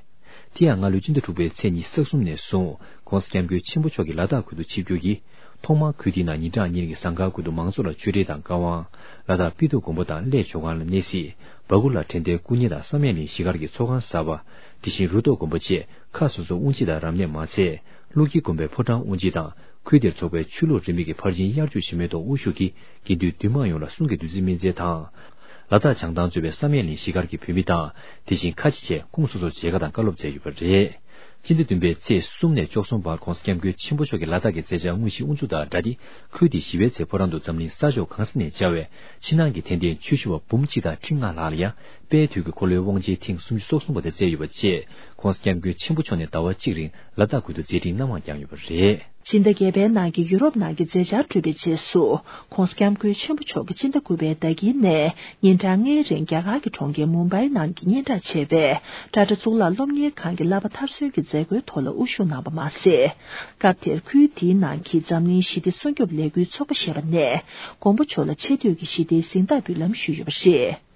དེ་ཡང་སྔ་ལོའི་སྤྱི་ཟླ་དྲུག་པའི་ཚེས་ཉི་ཤུ་རྩ་གསུམ་ནས་བཟུང་ྋགོང་ས་ྋསྐྱབས་མགོན་ཆེན་པོ་མཆོག་གིས་ལ་དྭགས་ཁུལ་དུ་ཆིབས་བསྒྱུར་གྱིས། ཐོག་མར་ཁུལ་དེའི་ནང་ཉིན་གྲངས་གཉིས་རིང་གི་ཟངས་དཀར་ཁུལ་དུ་མང་ཚོགས་ལ་ཆོས་འབྲེལ་དང་བཀའ་དབང་། ལ་དྭགས་པི་ཏོ་དགོན་པ་དང་གླེ་ཇོ་ཁང་ལ་གནས་གཟིགས། སྦ་གུ་ལ་དྲན་རྟེན་སྐུ་བརྙན་དང་བསམ་ཡས་གླིང་གཞིས་སྒར་གྱི་ཚོགས་ཁང་གསར་པ། དེ་བཞིན་རུ་ཐོག་དགོན་པ་བཅས་ཁག་སོ་སོའི་དབུ་འབྱེད་དང་རབ་གནས་མ་ཚད། ཀླུ་དཀྱིལ་དགོན་པའི་ཕོ་བྲང་དབུ་འབྱེད་དང་། ཁུལ་དེར་འཚོགས་པའི་ཆོས་ལུགས་རིས་མེད་ཀྱི་ཕར་ཕྱིན་དབྱར་ཆོས་ཆེན་མོའི་ཐོག་དབུ་བཞུགས་ཀྱིས་དགེ་འདུན་འདུས་མང་ཡོངས་ལ་གསུང་གི་བདུད་རྩི་སྨིན་སྩལ་དང་། ལ་དྭགས་བྱང་ཐང་གཙོས་པའི་བསམ་ཡས་གླིང་གཞིས་སྒར་གྱི་བོད་མི་དང་། དེ་བཞིན་ཁ་ཆེ་བཅས་ཁོངས་སོ་སོར་མཇལ་ཁ་དང་བཀའ་སློབ་སྩལ་ཡོད་པ་རེད། སྤྱི་ཟླ་བདུན་པའི་ཚེས་གསུམ་ནས་བཅུ་གསུམ་བར་ྋགོང་ས་ྋསྐྱབས་མགོན་ཆེན་པོ་མཆོག་གིས་ལ་དྭགས་ཀྱི་མཛད་འཆར་དངོས་གཞི་དབུ་འཛུགས་དང་སྦྲགས་ཏེ། ཁུལ་དེའི་བཞི་པའི་ཚེས་ཕོ་བྲང་དུ་འཛམ་གླིང་ས་ཕྱོགས་གང་ས་ནས་བཅར་བའི་ཕྱི་ནང་གི་དད་ལྡན་ཆོས་ཞུ་བ་འབུམ་གཅིག་དང་ཁྲི་ལྔ་ལྷག་ལ་ཡང་དཔལ་དུས་ཀྱི་འཁོར་ལོའི་དབང་ཆེན་ཐེངས་སུམ་ཅུ་སོ་གསུམ་པ་དེ་བསྩལ་ཡོད་པ་བཅས། ྋགོང་ས་ྋསྐྱབས་མགོན་ཆེན་པོ་མཆོག་ནས་ཟླ་བ་གཅིག་རིང་ལ་དྭགས་ཁུལ་དུ་མཛད་འཕྲིན་སྣ་མང་བསྐྱངས་ཡོད་པ་རེད། སྤྱི་ཟླ་བརྒྱད་པའི་ནང་གི་ཡུ་རོབ་ནང་གི་མཛད་འཆར་གྲུབ་པའི་རྗེས་སུ། ྋགོང་ས་ྋསྐྱབས་མགོན་ཆེན་པོ་མཆོག་གིས་སྤྱི་ཟླ་དགུ་པའི་ཟླ་དཀྱིལ་ནས་ཉིན་གྲངས་ལྔའི་རིང་རྒྱ་གར་གྱི་གྲོང་ཁྱེར་མུམ་བྷའི་ནང་གི་སྙན་གྲགས་ཆེ་བའི་ཊ་ཊ་གཙུག་ལག་སློབ་གཉེར་ཁང་གི་བསླབ་པ་མཐར་སོན་གྱི་མཛད་སྒོའི་ཐོག་ལ་དབུ་བཞུགས་གནང་བ་མ་ཟད། སྐབས་དེར་ཁུལ་དེའི་ནང་གི་འཛམ་གླིང་ཞི་བདེ་སྲུང་སྐྱོབ་ལས་འགུལ་ཚོགས་པ་ཞེས་པ་ནས་མགོན་པོ་མཆོག་ལ་ཆེ་བསྟོད་ཀྱི་ཞི་བདེའི་གཟེངས་རྟགས་འབུལ་ལམ་ཞུས་ཡོད་པ་རེད།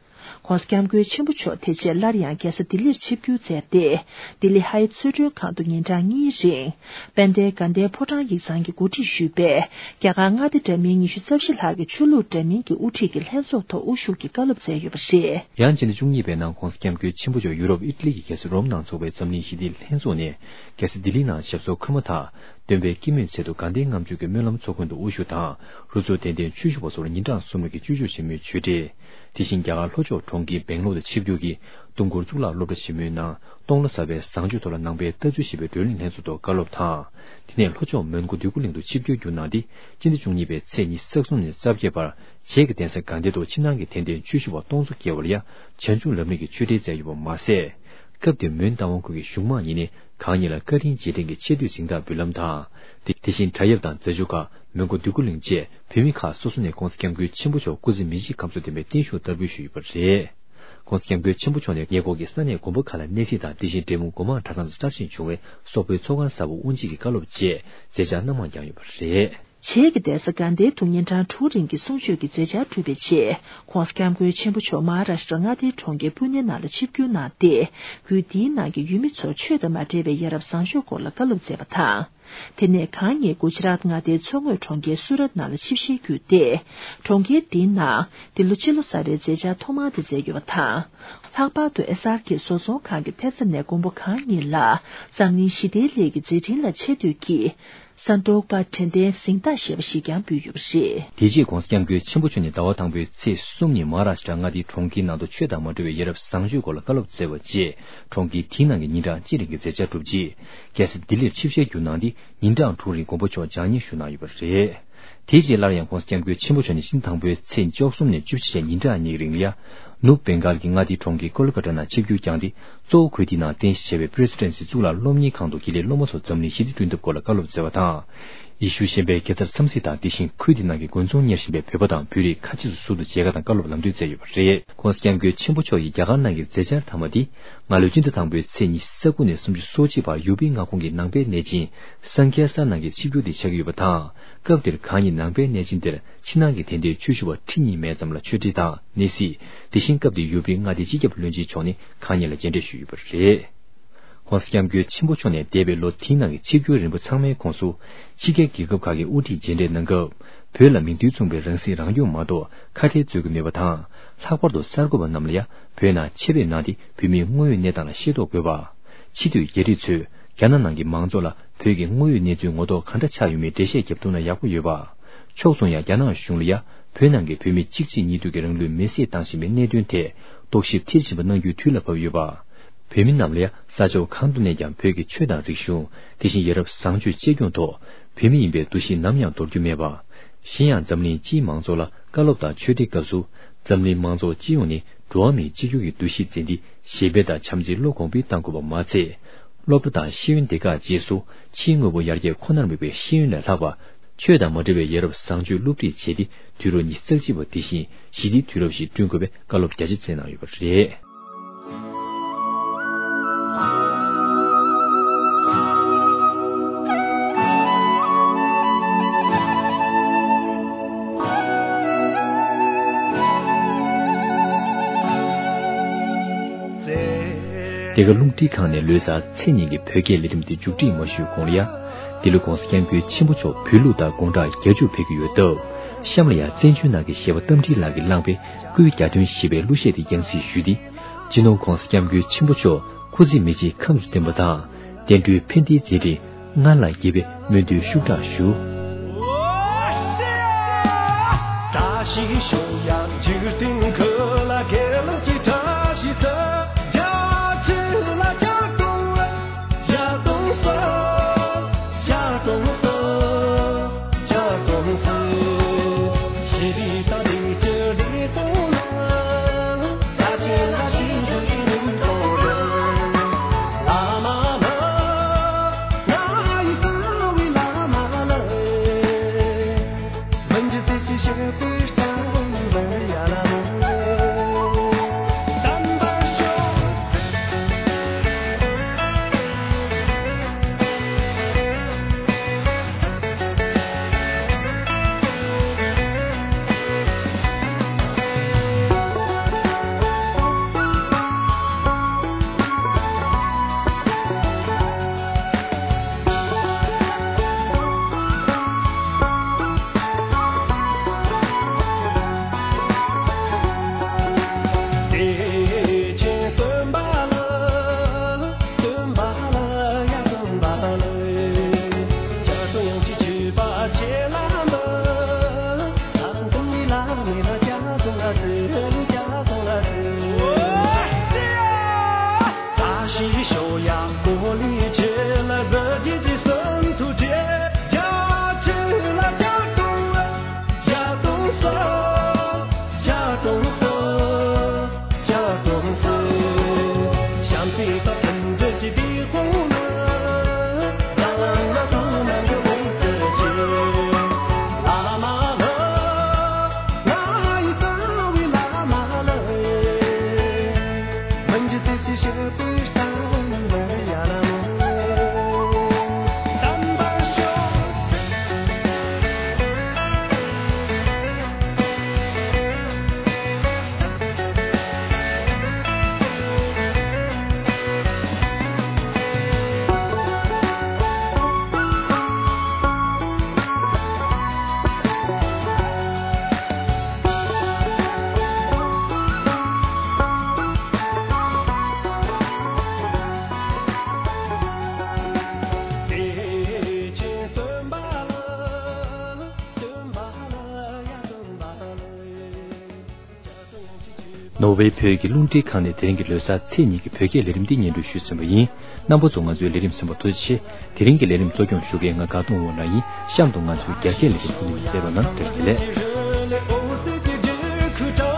ྋགོང་ས་ྋསྐྱབས་མགོན་ཆེན་པོ་མཆོག་དེ་རྗེས་སླར་ཡང་རྒྱལ་ས་ལྡི་ལིར་ཆིབས་བསྒྱུར་མཛད་དེ། ལྡི་ལི་ཧའི་ཚོས་མགྲོན་ཁང་དུ་ཉིན་གྲངས་གཉིས་རིང་དཔལ་ལྡན་དགའ་ལྡན་ཕོ་བྲང་ཡིག་ཚང་གིས་གོ་སྒྲིག་ཞུས་པའི་རྒྱ་གར་མངའ་སྡེ་འདྲ་མིན་ཉི་ཤུ་རྩ་བཞི་ལྷག་གི་ཆོས་ལུགས་འདྲ་མིན་གྱི་དབུ་ཁྲིད་ཀྱི་ལྷན་ཚོགས་ཐོག་དབུ་བཞུགས་ཀྱིས་བཀའ་སློབ་སྩལ་ཡོད་པ་རེད། ཡང་སྤྱི་ཟླ་བཅུ་གཉིས་པའི་ནང་ྋགོང་ས་ྋསྐྱབས་མགོན་ཆེན་པོ་མཆོག་ཡུ་རོབ་ཨི་ཊ་ལི་གི་རྒྱལ་ས་རོམ་ནང་འཚོགས་པའི་འཛམ་གླིང་ཞི་བདེའི་ལྷན་ཚོགས་ནས་རྒྱལ་ས་ལྡི་ལིའི་ནང་ཞབས་སོར་འཁོད་མ་ཐག་སྟོན་པའི་སྐྱེད་མོས་ཚལ་དུ་དགའ་ལྡན་ལྔ་མཆོད་ཀྱི་སྨོན་ལམ་ཚོགས་མགོན་དུ་དབུ་བཞུགས་དང་། རུ་ཚོགས་དད་ལྡན་ཆོས་ཞུ་བ་སོགས་ལ་ཉིན་གྲངས་གསུམ་རིང་གི་སྤྱོད་ཕྱོགས་ཆེན་མོའི་ཆོས་འབྲེལ། དེ་བཞིན་རྒྱ་གར་ལྷོ་ཕྱོགས་གྲོང་ཁྱེར་སྦེང་ལོར་དུ་ཆིབས་བསྒྱུར་གྱིས་སྟོང་སྐོར་གཙུག་ལག་སློབ་གྲྭ་ཆེན་མོའི་ནང་སྟོང་ལོ་གསར་པའི་བཟང་སྤྱོད་ཐོག་ལ་ནང་པའི་ལྟ་ཚུལ་ཞེས་པའི་བགྲོ་གླེང་ལྷན་ཚོགས་ཐོག་བཀའ་སློབ་དང་། དེ་ནས་ལྷོ་ཕྱོགས་མོན་གྷོ་འདོད་རྒུ་གླིང་དུ་ཆིབས་བསྒྱུར་བསྒྱུར་གནང་སྟེ། སྤྱི་ཟླ་བཅུ་གཉིས་པའི་ཚེས་ཉི་ཤུ་རྩ་གསུམ་ནས་རྩ་བརྒྱད་བར་བྱེས་ཀྱི་གདན་ས་དགའ་ལྡན་དུ་ཕྱི་ནང་གི་དད་ལྡན་ཆོས་ཞུ་བ་སྟོང་ཚོ་བརྒལ་བ་ལ་ཡང་བྱང་ཆུབ་ལམ་རིམ་གྱི་ཆོས་འབྲེལ་སྩལ་ཡོད་པ་མ་ཟད། སྐབས་དེར་མོན་རྟ་དབང་ཁུལ་གྱི་གཞུང་མང་གཉིས་ནས་གང་ཉིད་ལ་བཀའ་དྲིན་རྗེས་དྲན་གྱི་ཆེ་བསྟོད་གཟེངས་རྟགས་འབུལ་ལམ་དང་། དེ་དེ་བཞིན་བྲག་གཡབ་དང་རྫ་ཆུ་ཁ། མོན་གྷོ་འདོད་རྒུ་གླིང་བཅས་བོད་མི་ཁག་སོ་སོ་ནས་ྋགོང་ས་ྋསྐྱབས་མགོན་ཆེན་པོ་མཆོག་སྐུ་ཚེ་མི་ཤིགས་ཁམས་གསོ་བསྟན་པའི་བརྟན་བཞུགས་བསྟར་འབུལ་ཞུས་ཡོད་པ་རེད། ྋགོང་ས་ྋསྐྱབས་མགོན་ཆེན་པོ་མཆོག་ནས་ཉེ་འཁོར་གྱི་ས་གནས་དགོན་པ་ཁག་ལ་གནས་གཟིགས་དང་། དེ་བཞིན་འབྲས་སྤུངས་སྒོ་མང་གྲྭ་ཚང་དུ་གསར་བཞེངས་བྱུང་བའི་སོག་པོའི་ཚོགས་ཁང་གསར་པ་དབུ་འབྱེད་ཀྱི་བཀའ་སློབ་བཅས་མཛད་འཆར་སྣ་མང་བསྐྱངས་ཡོད་པ་རེད། བྱེས་ཀྱི་གདན་ས་དགའ་ལྡན་དུ་ཉིན་གྲངས་དྲུག་རིང་གི་གསུང་ཆོས་ཀྱི་མཛད་འཆར་གྲུབ་པའི་རྗེས། ྋགོང་ས་ྋསྐྱབས་མགོན་ཆེན་པོ་མཆོག་མ་ཧཱ་རཱ་ཤི་ཏྲ་མངའ་སྡེའི་གྲོང་ཁྱེར་པུ་ནེ་ནང་ལ་ཆིབས་བསྒྱུར་གནང་སྟེ། ཁུལ་འདིའི་ནང་གི་ཡུལ་མི་ཚོར་ཆོས་དང་མ་འབྲེལ་བའི་ཡ་རབས་བཟང་སྤྱོད་སྐོར་ལ་བཀའ་སློབ་སྩལ་བ་དང་། དེ་ནས་གང་ཉིད་གུ་ཇི་རཱཏ་མངའ་སྡེའི་མཚོ་ངོས་གྲོང་ཁྱེར་སུ་རཏ་ནང་ལ་ཆིབས་ཞལ་བསྒྱུར་ཏེ། གྲོང་ཁྱེར་འདིའི་ནང་འདི་ལོ་སྤྱི་ལོ་གསར་པའི་མཛད་འཆར་ཐོག་མ་དེ་མཛད་ཡོད་པ་དང་། ལྷག་པར་དུ་ཨེས་ཨར་ཁེ་བཟོ་ཚོང་ཁང་གི་ཐེབས་རྩ་ནས་མགོན་པོ་གང་ཉིད་ལ་འཛམ་གླིང་ཞི་བདེའི་སླད་ཀྱི་མཛད་འཕྲིན་ལ་ཆེ་བསྟོད་ཀྱིས། ས་འདོགས་པ་དྲན་རྟེན་གཟེངས་རྟགས་ཞེས་པ་ཞིག་ཀྱང་འབུལ་ཡོད་པ་རེད། དེ་རྗེས་ྋགོང་ས་ྋསྐྱབས་མགོན་ཆེན་པོ་མཆོག་ནས་ཟླ་བ་དང་པོའི་ཚེས་གསུམ་ཉིན་མ་ཧཱ་རཱ་ཤི་ཏྲ་མངའ་སྡེའི་གྲོང་ཁྱེར་ནང་དུ་ཆོས་དང་མ་འབྲེལ་བའི་ཡ་རབས་བཟང་སྤྱོད་སྐོར་ལ་བཀའ་སློབ་སྩལ་བ་རྗེས། གྲོང་ཁྱེར་དེའི་ནང་གི་ཉིན་གྲངས་གཅིག་རིང་གི་མཛད་འཆར་གྲུབ་རྗེས། རྒྱལ་ས་ལྡི་ལིར་ཆིབས་ཞལ་བསྒྱུར་གནང་སྟེ། ཉིན་གྲངས་དྲུག་རིང་མགོན་པོ་མཆོག་བྱང་སྙེགས་ཞུ་གནང་ཡོད་པ་རེད། དེ་རྗེས་སླར་ཡང་ྋགོང་ས་ྋསྐྱབས་མགོན་ཆེན་པོ་མཆོག་ནས་སྤྱི་ཟླ་དང་པོའི་ཚེས་བཅུ་གསུམ་ནས་བཅུ་གཅིག་བར་ཉིན་གྲངས་གཉིས་རིང་ལ། ནུབ་བེང་གཱལ་གྱི་མངའ་སྡེའི་གྲོང་ཁྱེར་ཀོ་ལི་ཀ་ཏ་ནང་ཆིབས་བསྒྱུར་བསྐྱངས་ཏེ། གཙོ་བོ་ཁུལ་དེའི་ནང་རྟེན་གཞི་བྱས་པའི་པི་རེ་སི་ཌེན་སི་གཙུག་ལག་སློབ་གཉེར་ཁང་དུ་དགེ་ལས་སློབ་མ་ཚོར་འཛམ་གླིང་ཞི་བདེ་བསྐྲུན་ཐབས་སྐོར་ལ་བཀའ་སློབ་སྩལ་བ་དང་། ཡེ་ཤུ་ཤན་པའི་དགེ་རྩར་འཚམས་གཟིགས་དང་། དེ་བཞིན་ཁུལ་དེའི་ནང་གི་དགོན་ཚོགས་གཉེར་བཞིན་པའི་བོད་པ་དང་བོད་རིགས་ཁ་ཆེ་ཚོ་ཟུར་དུ་མཇལ་ཁ་དང་བཀའ་སློབ་ལམ་སྟོན་སྩལ་ཡོད་པ་རེད། ྋགོང་ས་ྋསྐྱབས་མགོན་ཆེན་པོ་མཆོག་གི་རྒྱ་གར་ནང་གི་མཛད་འཆར་མཐའ་མ་འདི། སྔ་ལོའི་སྤྱི་ཟླ་དང་པོའི་ཚེས་ཉི་ཤུ་རྩ་དགུ་ནས་སུམ་ཅུ་སོ་གཅིག་བར་ཡུ་པི་མངའ་ཁོངས་ཀྱི་ནང་པའི་གནས་ཆེན་སན་ཁེ་སར་ནང་གི་ཆིབས་བསྒྱུར་དེ་ཆགས་ཀྱི་ཡོད་པ་དང་། སྐབས་དེར་གང་ཉིད་ནང་པའི་གནས་ཆེན་དེར་ཕྱི་ནང་གི་དད་ལྡན་ཆོས་ཞུ་བ་ཁྲི་གཉིས་མན་ཙམ་ལ་ཆོས་ཁྲིད་དང་གནས་གཟིགས། དེ་བཞིན་སྐབས་དེའི་ཡུ་པི་མངའ་སྡེའི་སྤྱི་ཁྱབ་བློན་ཆེན་མཆོག་ནས་གང་ཉིད་ལ་མཇལ་འཕྲད་ཞུས་ཡོད་པ་རེད། ྋགོང་ས་ྋསྐྱབས་མགོན་ཆེན་པོ་མཆོག་ནས་འདས་པའི་ལོ་དེའི་ནང་གི་ཆིབས་བསྒྱུར་རིམ་པ་ཚང་མའི་ཁོངས་སུ། ཕྱི་རྒྱལ་རྒྱལ་ཁབ་ཁག་གི་དབུ་ཁྲིད་མཇལ་འཕྲད་གནང་སྐབས། བོད་ལ་མིང་དོན་མཚུངས་པའི་རང་སྲིད་རང་སྐྱོང་མ་གཏོགས་ཁ་བྲལ་རྩོད་ཀྱི་མེད་པ་དང་། ལྷག་པར་དུ་གསར་འགོད་པ་རྣམས་ལ་ཡང་བོད་ནང་ཆེད་ཕེབས་གནང་སྟེ་བོད་མིའི་དངོས་ཡོད་གནས་སྟངས་ལ་ཤེས་རྟོགས་དགོས་པ། ཕྱི་སྡོད་རྒྱ་རིགས་ཚོས་རྒྱ་ནག་ནང་གི་མང་ཚོགས་ལ་བོད་ཀྱི་དངོས་ཡོད་གནས་ཚུལ་ངོ་ཐོག་ག་འདྲ་ཆགས་ཡོད་མེད་འགྲེལ་བཤད་བརྒྱབ་ཐུབ་ན་ཡག་པོ་ཡོད་པ། ཕྱོགས་མཚུངས་ཡང་རྒྱ་ནག་གཞུང་ལ་ཡང་བོད་ནང་གི་བོད་མི་གཅིག་རྗེས་གཉིས་མཐུད་ཀྱི་རང་ལུས་མེར་སྲེག་བཏང་བཞིན་པའི་གནད་དོན་ཐད་རྟོག་ཞིབ་མཐིལ་ཕྱིན་པ་གནང་རྒྱུའི་དུས་ལ་བབ་ཡོད་པ། བོད་མི་རྣམས་ལ་ཡང་ས་ཕྱོགས་གང་དུ་གནས་ཀྱང་བོད་ཀྱི་ཆོས་དང་རིག་གཞུང་། དེ་བཞིན་ཡ་རབས་བཟང་སྤྱོད་གཅེས་སྐྱོང་ཐོག་བོད་མི་ཡིན་པའི་འདུ་ཤེས་ནམ་ཡང་འདོར་རྒྱུ་མེད་པ། གཞན་ཡང་འཛམ་གླིང་སྤྱིའི་མང་ཚོགས་ལ་བཀའ་སློབ་དང་ཆོས་འབྲེལ་སྐབས་སུ། འཛམ་གླིང་མང་ཚོགས་སྤྱི་ཡོངས་ནས་འགྲོ་བ་མིའི་གཅིག་གྱུར་གྱི་འདུ་ཤེས་འཛིན་ཏེ་ཞི་བདེ་དང་བྱམས་བརྩེའི་བློ་གོང་འཕེལ་གཏང་དགོས་པ་མ་ཚད། སློབ་གྲྭ་དང་ཤེས་ཡོན་སྡེ་ཁག་བཅས་སུ་ཕྱིའི་དངོས་པོ་ཡར་རྒྱས་ཁོ་ནར་དམིགས་པའི་ཤེས་ཡོན་ལས་ལྷག་པ། ཆོས་དང་མ་འབྲེལ་བའི་ཡ་རབས་བཟང་སྤྱོད་སློབ་ཁྲིད་བྱས་ཏེ། དུས་རབས་ཉི་ཤུ་རྩ་གཅིག་པ་འདི་བཞིན་ཞི་བདེའི་དུས་རབས་ཤིག་བསྐྲུན་དགོས་པའི་བཀའ་སློབ་རྒྱ་ཆེ་སྩལ་གནང་ཡོད་པ་རེད། འདི་ག་རླུང་འཕྲིན་ཁང་ནས་ལོ་གསར་ཚེས་གཉིས་ཀྱི་བོད་སྐད་ལས་རིམ་འདི་མཇུག་སྒྲིལ་མ་ཞུས་གོང་ལ་ཡ། འདི་ལོ་༧གོང་ས་༧སྐྱབས་མགོན་ཆེན་པོ་མཆོག་བོད་ལུགས་དང་དགུང་གྲངས་བརྒྱད་ཅུ་ཕེབས་ཀྱི་ཡོད་སྟབས། གཤམ་ལ་ཡ་བཙན་བྱོལ་ནང་གི་གཞས་པ་རྟ་མགྲིན་ལགས་ཀྱིས་བླངས་པའི་སྐུའི་གྱ་སྟོན་ཞེས་པའི་གླུ་གཞས་དེ་རྒྱང་སྲིང་ཞུས་ཏེ། སྤྱི་ནོར་༧གོང་ས་༧སྐྱབས་མགོན་ཆེན་པོ་མཆོག་སྐུ་ཚེ་མི་ཕྱེད་ཁམས་སུ་བརྟན་པ་དང་། བསྟན་འགྲོའི་ཕན་བདེའི་མཛད་འཕྲིན་སྔར་ལས་རྒྱས་པའི་སྨོན་འདུན་ཤུགས་དྲག་ཞུ། བཀྲ་ཤིས་ཤོག་ཡང་འཇིག་རྟེན་ཁུལ་ལ་དགེ་ལེགས་ཀྱི་བཀྲ་ཤིས་ཤོག་རྒྱ་ཆེ་ལ་རྒྱ་སྟོང་། རྒྱ་སྟོང་ས། རྒྱ་སྟོང་ས། རྒྱ་སྟོང་ས། ཞི་བདེ་དང་བདེ་སྐྱིད་བདེ་སྟོང་ལ། ས་ཆེན་ལ་ཞི་བདེ་སྟོང་ལ། བླ་མ་ལ། ང་ཡི་ཀ་བའི་བླ་མ་ལ། ནོར་ཝེ་བོད་ཀྱི་རླུང་འཕྲིན་ཁང་ནས་དེ་རིང་གི་ལོ་གསར་ཚེས་གཉིས་ཀྱི་བོད་སྐད་ལས་རིམ་འདི་སྙན་སྒྲོན་ཞུས་ཟིན་པ་ཡིན། རྣམ་པ་ཚོ་ང་ཚོའི་ལས་རིམ་གསན་པར་ཐུགས་རྗེ་ཆེ། དེ་རིང་གི་ལས་རིམ་གཙོ་སྐྱོང་ཞུ་མཁན་ང་དགའ་གདོང་དབང་ལགས་ཡིན། གཤམ་དུ་ང་ཚོའི་རྒྱ་སྐད་ལས་རིམ་ཐོག་ནས་གསན་རོགས་གནང་། བཀྲ་ཤིས་བདེ་ལེགས།